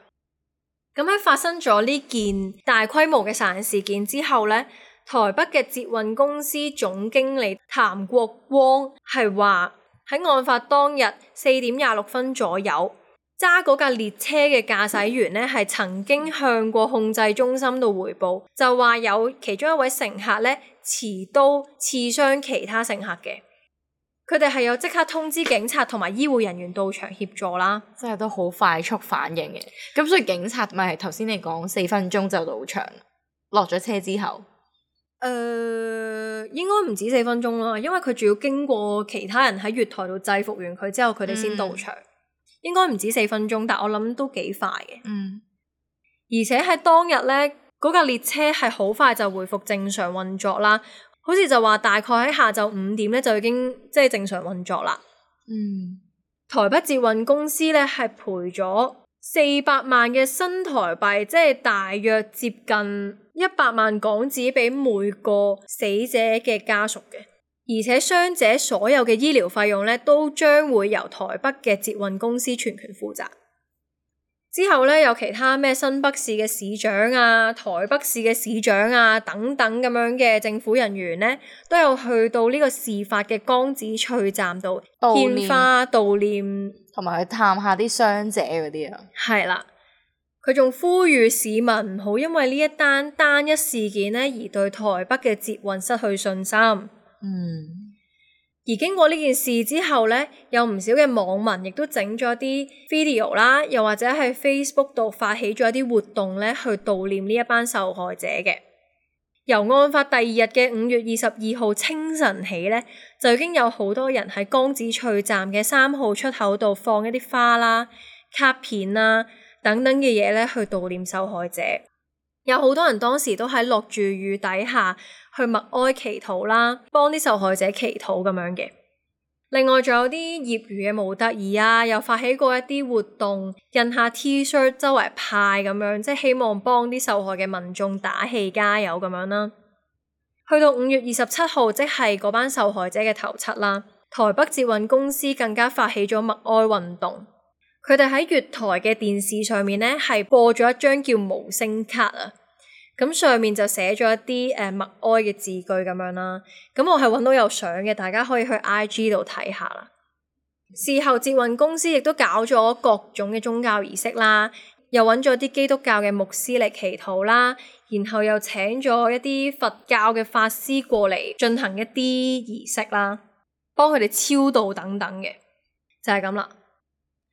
咁喺發生咗呢件大規模嘅殺人事件之後咧，台北嘅捷運公司總經理譚國光係話喺案發當日4點26分左右，揸嗰架列車嘅駕駛員咧係曾經向過控制中心度匯報，就話有其中一位乘客咧持刀刺傷其他乘客嘅。佢哋係有即刻通知警察同埋醫護人員到場協助啦，即係都好快速反應嘅。咁所以警察咪係頭先你講4分鐘就到場，落咗車之後，應該唔止4分鐘啦，因為佢仲要經過其他人喺月台度制服完佢之後，佢哋先到場。應該唔止4分鐘，但我諗都幾快嘅。而且喺當日咧，嗰架列車係好快就恢復正常運作啦。好似就話大概喺下晝5點咧就已經即係正常運作啦。台北捷運公司咧係賠咗400萬嘅新台幣，即係大約接近100萬港紙俾每個死者嘅家屬嘅。而且傷者所有嘅醫療費用咧都將會由台北嘅捷運公司全權負責。之後咧有其他咩新北市嘅市長啊、台北市嘅市長啊等等咁樣嘅政府人員咧，都有去到呢個事發嘅江子翠站度獻花悼念，同埋去探下啲傷者嗰啲啊。係啦，佢仲呼籲市民唔好因為呢一單一事件咧而對台北嘅捷運失去信心。而經過呢件事之後咧，有唔少嘅網民亦都整咗啲 video 啦，又或者喺 Facebook 度發起咗一啲活動咧，去悼念呢一班受害者嘅。由案發第2日嘅5月22號清晨起咧，就已經有好多人喺江子翠站嘅3號出口度放一啲花啦、卡片啦等等嘅嘢咧，去悼念受害者。有好多人當時都喺落住雨底下去默哀祈禱啦，幫啲受害者祈禱咁樣嘅。另外仲有啲業餘嘅模特兒啊，又發起過一啲活動，印下 T-shirt 周圍派咁樣，即係希望幫啲受害嘅民眾打氣加油咁樣啦。去到5月27號，即係嗰班受害者嘅頭七啦，台北捷運公司更加發起咗默哀運動。佢哋喺月台嘅電視上面咧，係播咗一張叫無聲卡啊。咁上面就寫咗一啲默哀嘅字句咁樣啦。咁我係揾到有相嘅，大家可以去 IG 度睇下啦。事後捷運公司亦都搞咗各種嘅宗教儀式啦，又揾咗啲基督教嘅牧師嚟祈禱啦，然後又請咗一啲佛教嘅法師過嚟進行一啲儀式啦，幫佢哋超度等等嘅，就係咁啦。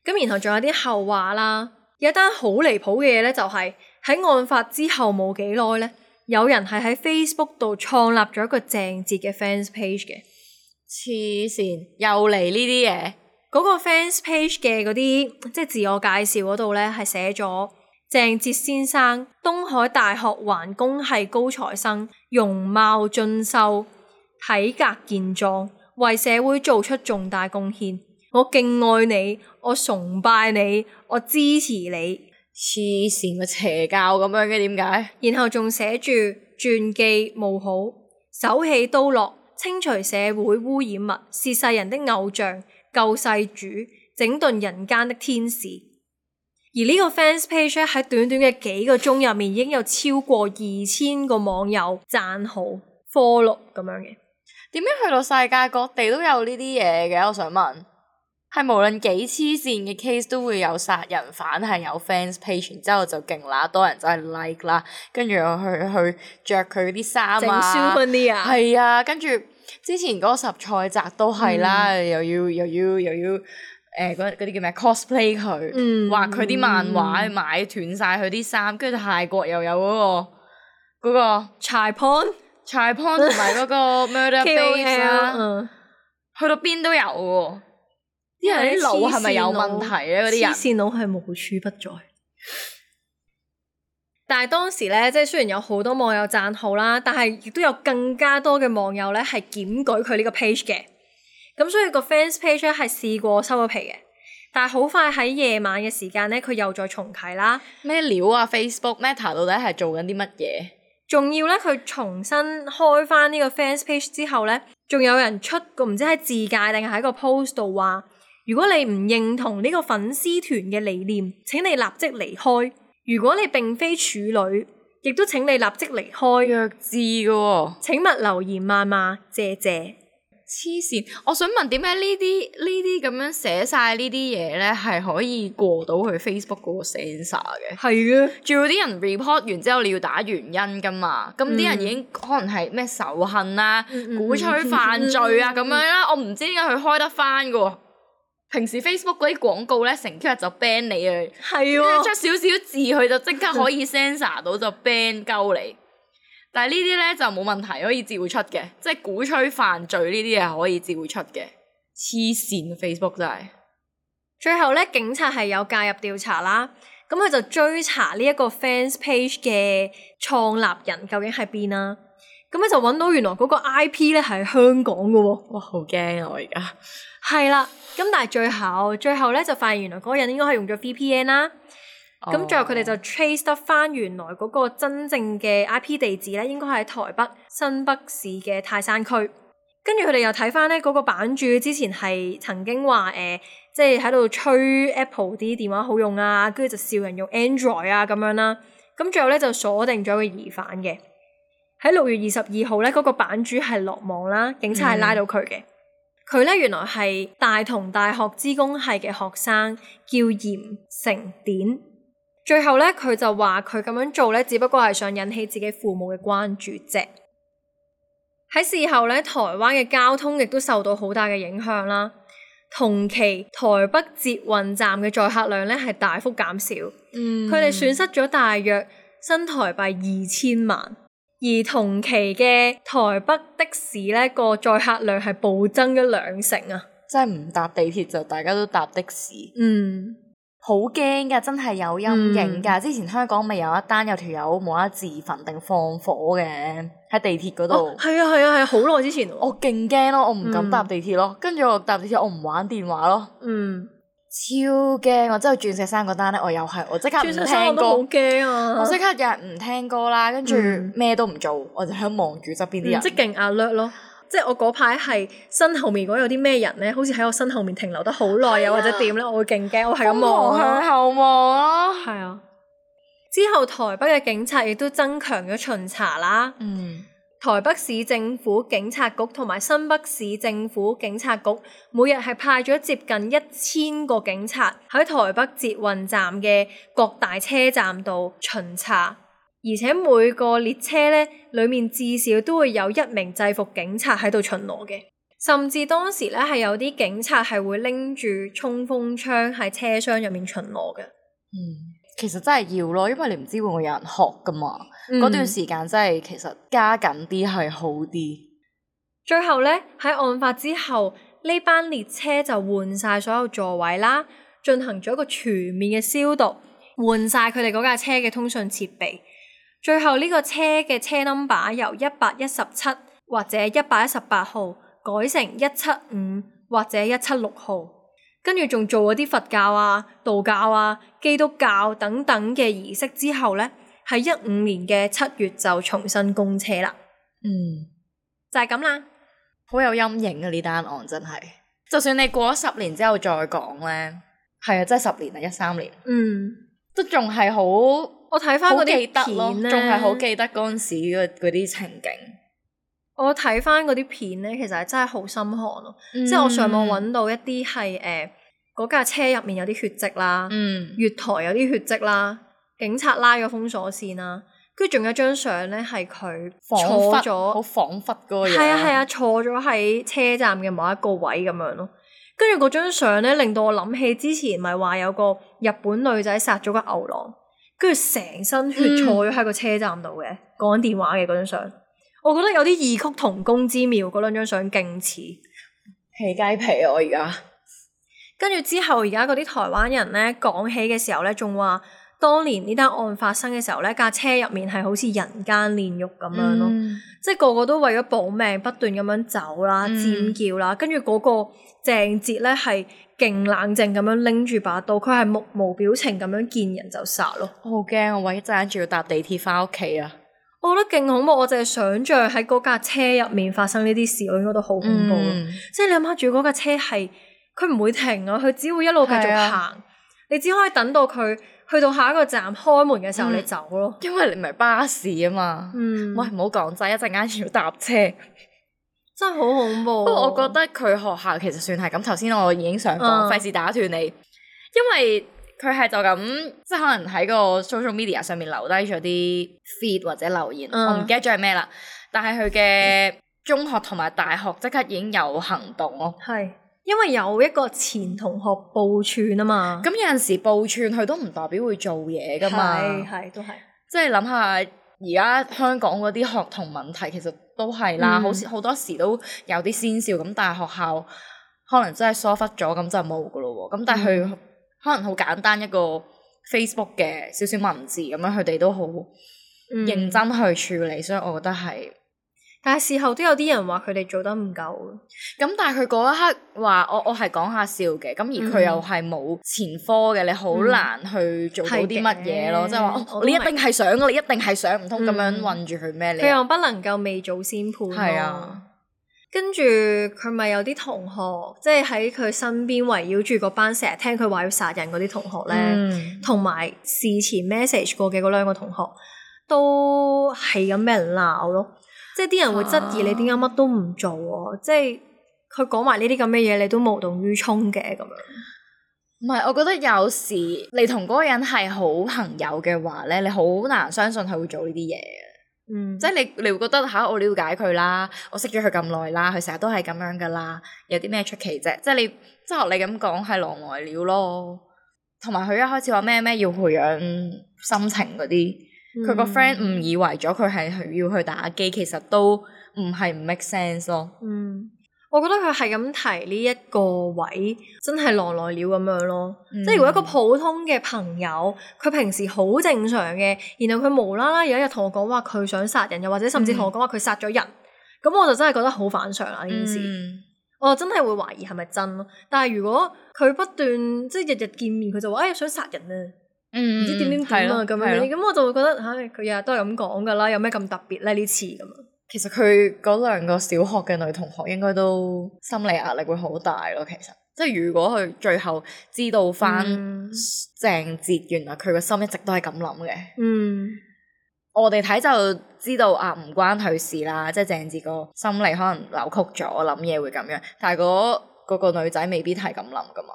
咁然後仲有啲後話啦，有一單好離譜嘅嘢咧，就係喺案發之後冇幾耐咧，有人係喺 Facebook 度創立咗一個鄭捷嘅 fans page 嘅。黐線，又嚟呢啲嘢。嗰個 fans page 嘅嗰啲即係自我介紹嗰度咧，係寫咗鄭捷先生，東海大學環工系高材生，容貌俊秀，體格健壯，為社會做出重大貢獻。我敬愛你，我崇拜你，我支持你。黐線嘅邪教咁樣嘅，點解？然後仲寫住傳記冒號，手起刀落，清除社會污染物，是世人的偶像，救世主，整頓人間的天使。而呢個 fans page 喺短短嘅幾個鐘入面，已經有超過2000個網友讚好 follow 咁樣嘅。點解去到世界各地都有呢啲嘢嘅？我想問。係無論幾黐線嘅 case 都會有殺人犯係有 fans page， 然之後就勁啦，多人就係 like 啦，跟住又去着佢啲衫啊，整 souvenir 啊，係啊，跟住之前嗰個十菜集都係啦，又要嗰啲叫咩 cosplay 佢，畫佢啲漫畫，買斷晒佢啲衫，跟住泰國又有嗰個柴 pon 同埋嗰個 murder base 啦，去到邊都有喎。啲人啲腦係咪有問題咧？嗰啲人黐線腦係無處不在。但係當時咧，即係雖然有好多網友讚好啦，但係亦都有更加多嘅網友咧係檢舉佢呢個 page 嘅。咁所以個 fans page 咧係試過收咗皮嘅，但係好快喺夜晚嘅時間咧，佢又再重啟啦。咩料啊 ？Facebook Meta 到底係做緊啲乜嘢？仲要咧，佢重新開翻呢個 fans page 之後咧，仲有人出個唔知喺自介定係喺個 post 度話，如果你唔認同呢個粉絲團嘅理念，請你立即離開。如果你並非處女，亦都請你立即離開。弱智嘅喎，請勿留言謾罵，謝謝。黐線！我想問點解呢啲咁樣寫晒呢啲嘢咧，係可以過到去 Facebook 嗰個 censor 嘅？係嘅，仲有啲人 report 完之後，你要打原因噶嘛？咁啲人已經可能係咩仇恨啊、鼓吹犯罪啊咁樣啦。我唔知點解佢開得翻嘅喎。平時 Facebook 嗰啲廣告咧，成幾日就 ban 你啊，係喎，出少少字佢就即刻可以 censor 到就 ban 鳩你。但係呢啲咧就冇問題，可以照出嘅，即係鼓吹犯罪呢啲係可以照出嘅。黐線 Facebook 真係。最後咧，警察係有介入調查啦，咁佢就追查呢一個 fans page 嘅創立人究竟喺邊啦。咁咧就揾到原來嗰個 IP 咧係香港嘅喎。哇，好驚啊！我而家係啦，咁但係最後咧就發現原來嗰個人應該係用咗 VPN 啦。咁最後佢哋就 trace 得翻原來嗰個真正嘅 IP 地址咧，應該係喺台北新北市嘅泰山區。跟住佢哋又睇翻咧嗰個版主之前係曾經話即係喺度吹 Apple 啲電話好用啊，跟住就笑人用 Android 啊咁樣啦。咁最後咧就鎖定咗個疑犯嘅。喺6月22號咧，嗰個版主係落網啦，警察係拉到佢嘅。佢咧原來係大同大學資工系嘅學生，叫嚴成典。最後咧，佢就話佢咁樣做咧，只不過係想引起自己父母嘅關注啫。喺事後咧，台灣嘅交通亦都受到好大嘅影響啦。同期台北捷運站嘅載客量咧係大幅減少，佢哋損失咗大約新台幣2000萬。而同期嘅台北的士咧個載客量係暴增咗2成啊！真係唔搭地鐵就大家都搭的士。好驚噶，真係有陰影噶。之前香港咪有一單有條友冇得自焚定放火嘅喺地鐵嗰度。係啊，好耐之前。我勁驚咯，我唔敢搭地鐵咯。跟住我搭地鐵，我唔玩電話咯。超驚！我之後鑽石山嗰單咧，我即刻唔聽歌。鑽石山我都好驚啊！我即刻日日唔聽歌啦，跟住咩都唔做，我就喺度望住側邊啲人。即勁alert咯！即係我嗰排係身後面如果有啲咩人咧，好似喺我身後面停留得好耐又或者點咧，我會勁驚，我係咁望向後望咯。係啊！之後台北嘅警察亦都增強咗巡查啦。台北市政府警察局同埋新北市政府警察局每日係派咗接近1000個警察喺台北捷運站嘅各大車站度巡查。而且每個列車咧，裡面至少都會有1名制服警察喺度巡邏嘅，甚至當時咧係有啲警察係會拎住衝鋒槍喺車廂入面巡邏嘅。其實真係要咯，因為你唔知會唔會有人學噶嘛。嗰段時間真係其實加緊啲係好啲。最後咧喺案發之後，呢班列車就換晒所有座位啦，進行咗一個全面嘅消毒，換晒佢哋嗰架車嘅通訊設備。最後呢個車嘅車 number 由117或者118號改成175或者176號，跟住仲做咗啲佛教啊、道教啊、基督教等等嘅儀式之後咧，喺15年嘅7月就重新供車啦。就係咁啦，好有陰影啊！呢單案真係，就算你過咗10年之後再講咧，係啊，真係10年啊，13年，都仲係好。我睇翻嗰啲片咧，仲係好記得嗰陣時嗰啲情景。我睇翻嗰啲片咧，其實係真係好心寒咯。即係我上網揾到一啲係嗰架車入面有啲血跡啦，月台有啲血跡啦，警察拉咗封鎖線啦，跟住仲有張相咧係佢坐咗，好彷彿嗰個樣。係啊，坐咗喺車站嘅某一個位咁樣咯。跟住嗰張相咧，令到我諗起之前咪話有個日本女仔殺咗個牛郎。跟住成身血坐咗喺個車站度嘅，講緊電話嘅嗰張相，我覺得有啲異曲同工之妙。嗰兩張相勁似，起雞皮啊！我而家跟住之後，而家嗰啲台灣人咧講起嘅時候咧，仲話當年呢單案發生嘅時候咧，架車入面係好似人間煉獄咁樣咯，即係個個都為咗保命不斷咁樣走啦、尖叫啦，跟住嗰個鄭捷咧係勁冷靜咁樣拎住把刀，佢係目無表情咁樣見人就殺咯。我好驚，我一陣仲要搭地鐵翻屋企啊！我覺得勁恐怖，我淨係想像喺嗰架車入面發生呢啲事，我應該都好恐怖。即係你諗下住嗰架車係，佢唔會停啊，佢只會一路繼續行，你只可以等到佢去到下一個站開門嘅時候你走咯。因為你唔係巴士啊嘛。喂，唔好講真，一陣間仲要搭車，真係好恐怖。不過我覺得佢學校其實算係咁。頭先我已經想講，費事打斷你，因為佢係就咁，即係可能喺個 social media 上面留低咗啲 feed 或者留言，我唔記得咗係咩啦。但係佢嘅中學同埋大學即刻已經有行動咯。係，因為有一個前同學報串啊嘛。咁有陣時報串佢都唔代表會做嘢噶嘛。係都係。即係諗下而家香港嗰啲學童問題其實都係啦，好多時都有啲先兆咁，但係學校可能真係疏忽咗，咁就冇噶咯喎。咁但係佢可能好簡單一個 Facebook 嘅少少文字咁樣，佢哋都好認真去處理，所以我覺得係。但係事後都有啲人話佢哋做得唔夠。咁但係佢嗰一刻話我係講下笑嘅，咁而佢又係冇前科嘅，你好難去做到啲乜嘢咯。即係話你一定係想㗎，你一定係想，唔通咁樣韞住佢咩？佢又不能夠未早先判。係啊。跟住佢咪有啲同學，即係喺佢身邊圍繞住嗰班成日聽佢話要殺人嗰啲同學咧，同埋事前 message 過嘅嗰兩個同學，都係咁俾人鬧咯。即係啲人會質疑你點解乜都唔做喎？即係佢講埋呢啲咁嘅嘢，你都無動於衷嘅咁樣。唔係，我覺得有時你同嗰個人係好朋友嘅話咧，你好難相信佢會做呢啲嘢。即係你會覺得我了解佢啦，我識咗佢咁耐啦，佢成日都係咁樣噶啦，有啲咩出奇啫？即係你即係學你咁講係狼來了咯。同埋佢一開始話咩要培養心情嗰啲，佢個 friend 誤以為咗佢係要去打機，其實都唔係唔 make sense 咯。我覺得佢係咁提呢一個位，真係狼來了咁樣咯。即係如果一個普通嘅朋友，佢平時好正常嘅，然後佢無啦啦有一日同我講話佢想殺人，又或者甚至同我講話佢殺咗人，咁我就真係覺得好反常啦呢件事。我真係會懷疑係咪真咯。但係如果佢不斷即係日日見面，佢就話想殺人啊，唔知點啊咁樣，咁我就會覺得佢日日都係咁講噶啦，有咩咁特別咧呢次咁啊？其實佢嗰兩個小學嘅女同學應該都心理壓力會好大咯。其實即係如果佢最後知道翻鄭捷原來佢個心一直都係咁諗嘅，我哋睇就知道唔關佢事啦。即係鄭捷個心理可能扭曲咗，諗嘢會咁樣，但係嗰個女仔未必係咁諗噶嘛。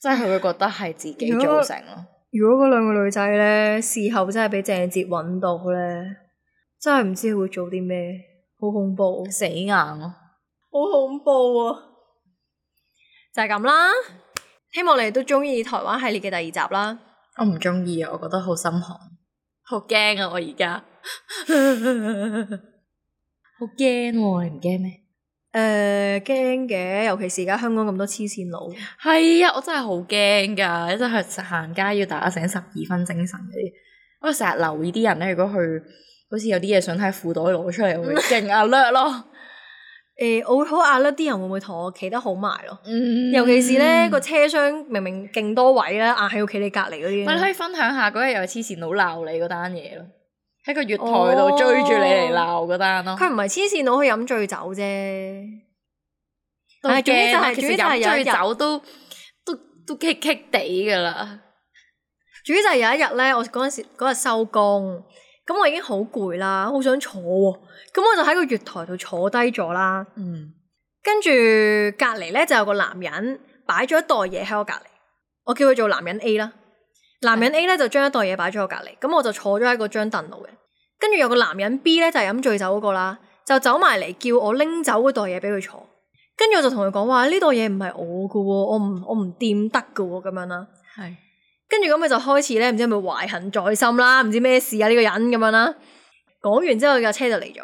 即係佢會覺得係自己造成咯。如果嗰兩個女仔咧事後真係俾鄭捷揾到咧，真係唔知佢會做啲咩，好恐怖，死硬咯，好恐怖啊！就係咁啦，希望你哋都中意台灣系列嘅第二集啦。我唔中意啊，我覺得好心寒，好驚啊！我而家好驚喎，你唔驚咩？驚嘅，尤其是而家香港咁多黐線佬。係啊，我真係好驚噶，真係行街要打醒12分精神嗰啲。我成日留意啲人咧，如果佢好似有啲嘢想喺褲袋攞出嚟，我會勁alert咯。我會好alert，啲人會唔會同我企得好埋咯？尤其是咧個車廂明明勁多位咧，硬係要企你隔離嗰啲。你可以分享下嗰日有黐線佬鬧你嗰單嘢咯，喺個月台度追住你嚟鬧嗰單咯。佢唔係黐線佬，去飲醉酒啫。但係其實飲醉酒都棘棘地噶啦。主要就係有一日咧，我嗰日收工。咁我已經好攰啦，好想坐喎。咁我就喺個月台度坐低咗啦。跟住隔離咧就有個男人擺咗一袋嘢喺我隔離，我叫佢做男人 A 啦。男人 A 咧就將一袋嘢擺咗我隔離，咁我就坐咗喺嗰張凳度嘅。跟住有個男人 B 咧就係飲醉酒嗰個啦，就走埋嚟叫我拎走嗰袋嘢俾佢坐。跟住我就同佢講話，呢袋嘢唔係我㗎喎，我唔掂得㗎喎，咁樣啦。係。跟住咁佢就開始咧，唔知係咪懷恨在心啦，唔知咩事啊呢個人咁樣啦。講完之後架車就嚟咗，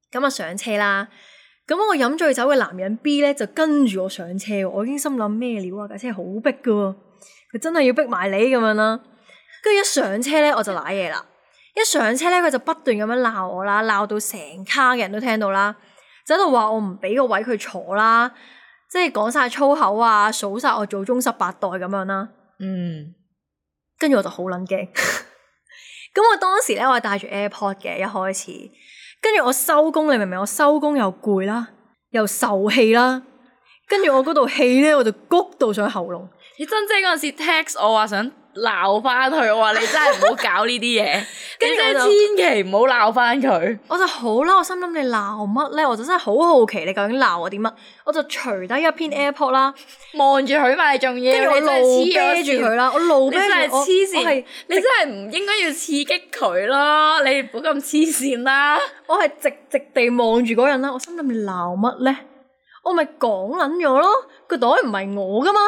咁啊上車啦。咁我飲醉酒嘅男人 B 咧就跟住我上車，我已經心諗咩料啊？架車好逼噶，佢真係要逼埋你咁樣啦。跟住一上車咧我就瀨嘢啦，一上車咧佢就不斷咁樣鬧我啦，鬧到成卡嘅人都聽到啦，就喺度話我唔俾個位佢坐啦，即係講晒粗口啊，數晒我祖宗18代咁樣啦。跟住我就好撚驚。咁我當時咧我係戴住 AirPod 嘅一開始，跟住我收工，你明唔明？我收工又攰啦，又受氣啦，跟住我嗰度氣咧我就谷到上喉嚨。你珍姐嗰陣時 text 我話想鬧翻佢，我話你真係唔好搞呢啲嘢，跟住真係千祈唔好鬧翻佢。我就好嬲，我心諗你鬧乜咧？我就真係好好奇你究竟鬧我啲乜？我就除低一篇 AirPod 啦，望住佢咪仲要，跟住我怒啤住佢啦，我怒啤住，你真係黐線，你真係唔應該要刺激佢咯，你唔好咁黐線啦。我係直地望住嗰人啦，我心諗你鬧乜咧？我咪講撚咗咯，個袋唔係我噶嘛。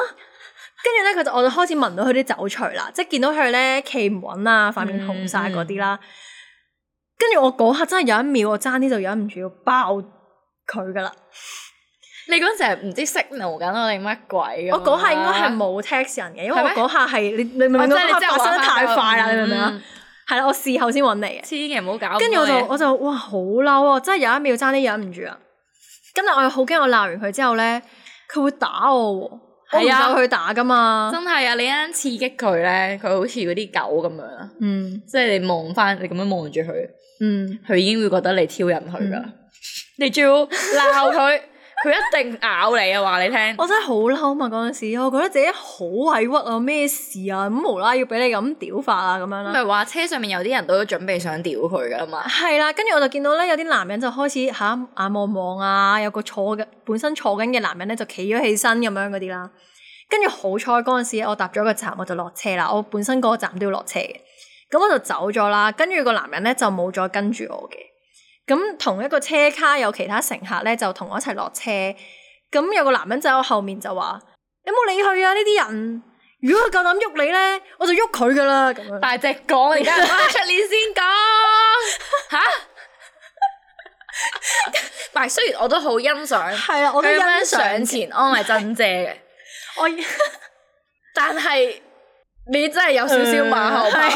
跟住咧，我就開始聞到佢啲酒除啦，即係見到佢咧企唔穩啊，塊面紅晒嗰啲啦。跟住我嗰刻真係有一秒，我爭啲就忍唔住要爆佢噶啦。你嗰陣時係唔知 signal 緊我定乜鬼？我嗰下應該係冇 text 人嘅，因為我嗰下係你明唔明？嗰下發生得太快啦，你明唔明啊？係啦，我事後先揾你嘅。千祈唔好搞。跟住我就哇好嬲啊！真係有一秒爭啲忍唔住啊！今日我又好驚，我鬧完佢之後咧，佢會打我喎。係啊，我唔夠佢打噶嘛。真係啊！你一陣刺激佢咧，佢好似嗰啲狗咁樣。即係你望翻，你咁樣望住佢，佢已經會覺得你挑釁佢噶。你仲要鬧佢，佢一定咬你啊！話你聽。我真係好嬲嘛！嗰陣時，我覺得自己好委屈啊！咩事啊？咁無啦啦要俾你咁屌法啊？咁樣啦。唔係話車上面有啲人都準備想屌佢噶嘛？係啦，跟住我就見到咧，有啲男人就開始眼望望啊，有個本身坐緊嘅男人咧就企咗起身咁樣嗰啲啦。跟住好彩嗰陣時，我搭咗個站我就落車啦。我本身嗰個站都要落車嘅，咁我就走咗啦。跟住個男人咧就冇再跟住我嘅。咁同一個車卡有其他乘客咧就同我一齊落車。咁有個男人就喺我後面就話：你冇理佢啊！呢啲人，如果佢夠膽喐你咧，我就喐佢噶啦。咁樣大隻講，而家出年先講吓。但係雖然我都好欣賞，係啦，我都欣賞上前安慰珍姐嘅。但係你真係有少少馬後炮，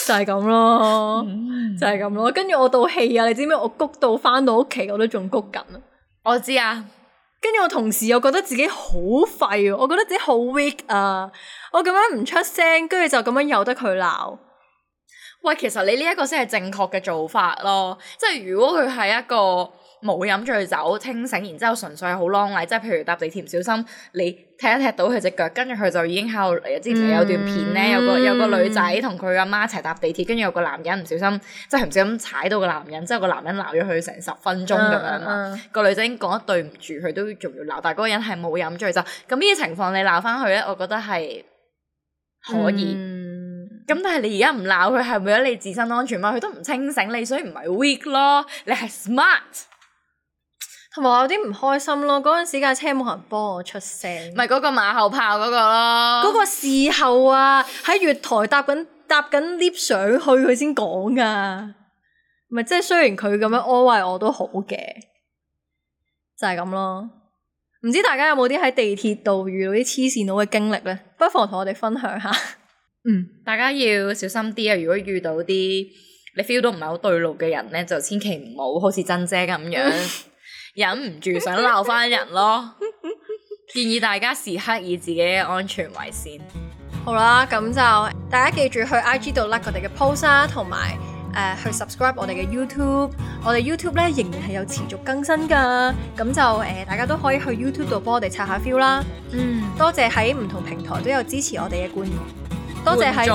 就係咁咯，就係咁咯。跟住我到氣啊，你知唔知？我谷到翻到屋企，我都仲谷緊啊。我知啊。跟住我同時又覺得自己好廢，我覺得自己好 weak 啊！我咁樣唔出聲，跟住就咁樣由得佢鬧。喂，其實你呢一個先係正確嘅做法咯。即係如果佢係一個冇飲醉酒清醒，然之後純粹係好啷禮，即係譬如搭地鐵唔小心你踢一踢到佢隻腳，跟住佢就已經喺度嚟。之前有段片咧，有個女仔同佢阿媽一齊搭地鐵，跟住有個男人唔小心，即係唔小心踩到個男人，之後個男人鬧咗佢成10分鐘咁樣嘛。個女仔已經講得對唔住，佢都仲要鬧，但係嗰個人係冇飲醉酒。咁呢啲情況你鬧翻佢咧，我覺得係可以。咁但係你而家唔鬧佢，係為咗你自身安全嘛？佢都唔清醒，你所以唔係 weak 咯，你係 smart。同埋我有啲唔開心咯，嗰陣時架車冇人幫我出聲，咪嗰個馬後炮嗰個咯。嗰個事後啊，喺月台搭緊 lift 上去佢先講噶，咪即係雖然佢咁樣安慰我都好嘅，就係咁咯。唔知大家有冇啲喺地鐵度遇到啲黐線佬嘅經歷咧？不妨同我哋分享下。大家要小心啲啊！如果遇到啲你 feel 到唔係好對路嘅人咧，就千祈唔好似珍姐咁樣。忍唔住想鬧翻人咯，建議大家時刻以自己嘅安全為先。好啦，咁就大家記住去 IG 度 like 我哋嘅 post 啦，同埋去 subscribe 我哋嘅 YouTube。我哋 YouTube 咧仍然係有持續更新噶，咁就大家都可以去 YouTube 度幫我哋刷下 feel 啦。多謝喺唔同平台都有支持我哋嘅觀眾，多謝喺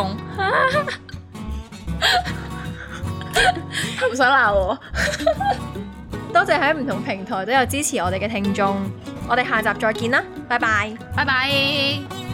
唔想鬧我。多謝喺唔同平台都有支持我哋嘅聽眾，我哋下集再見啦，拜拜，拜拜。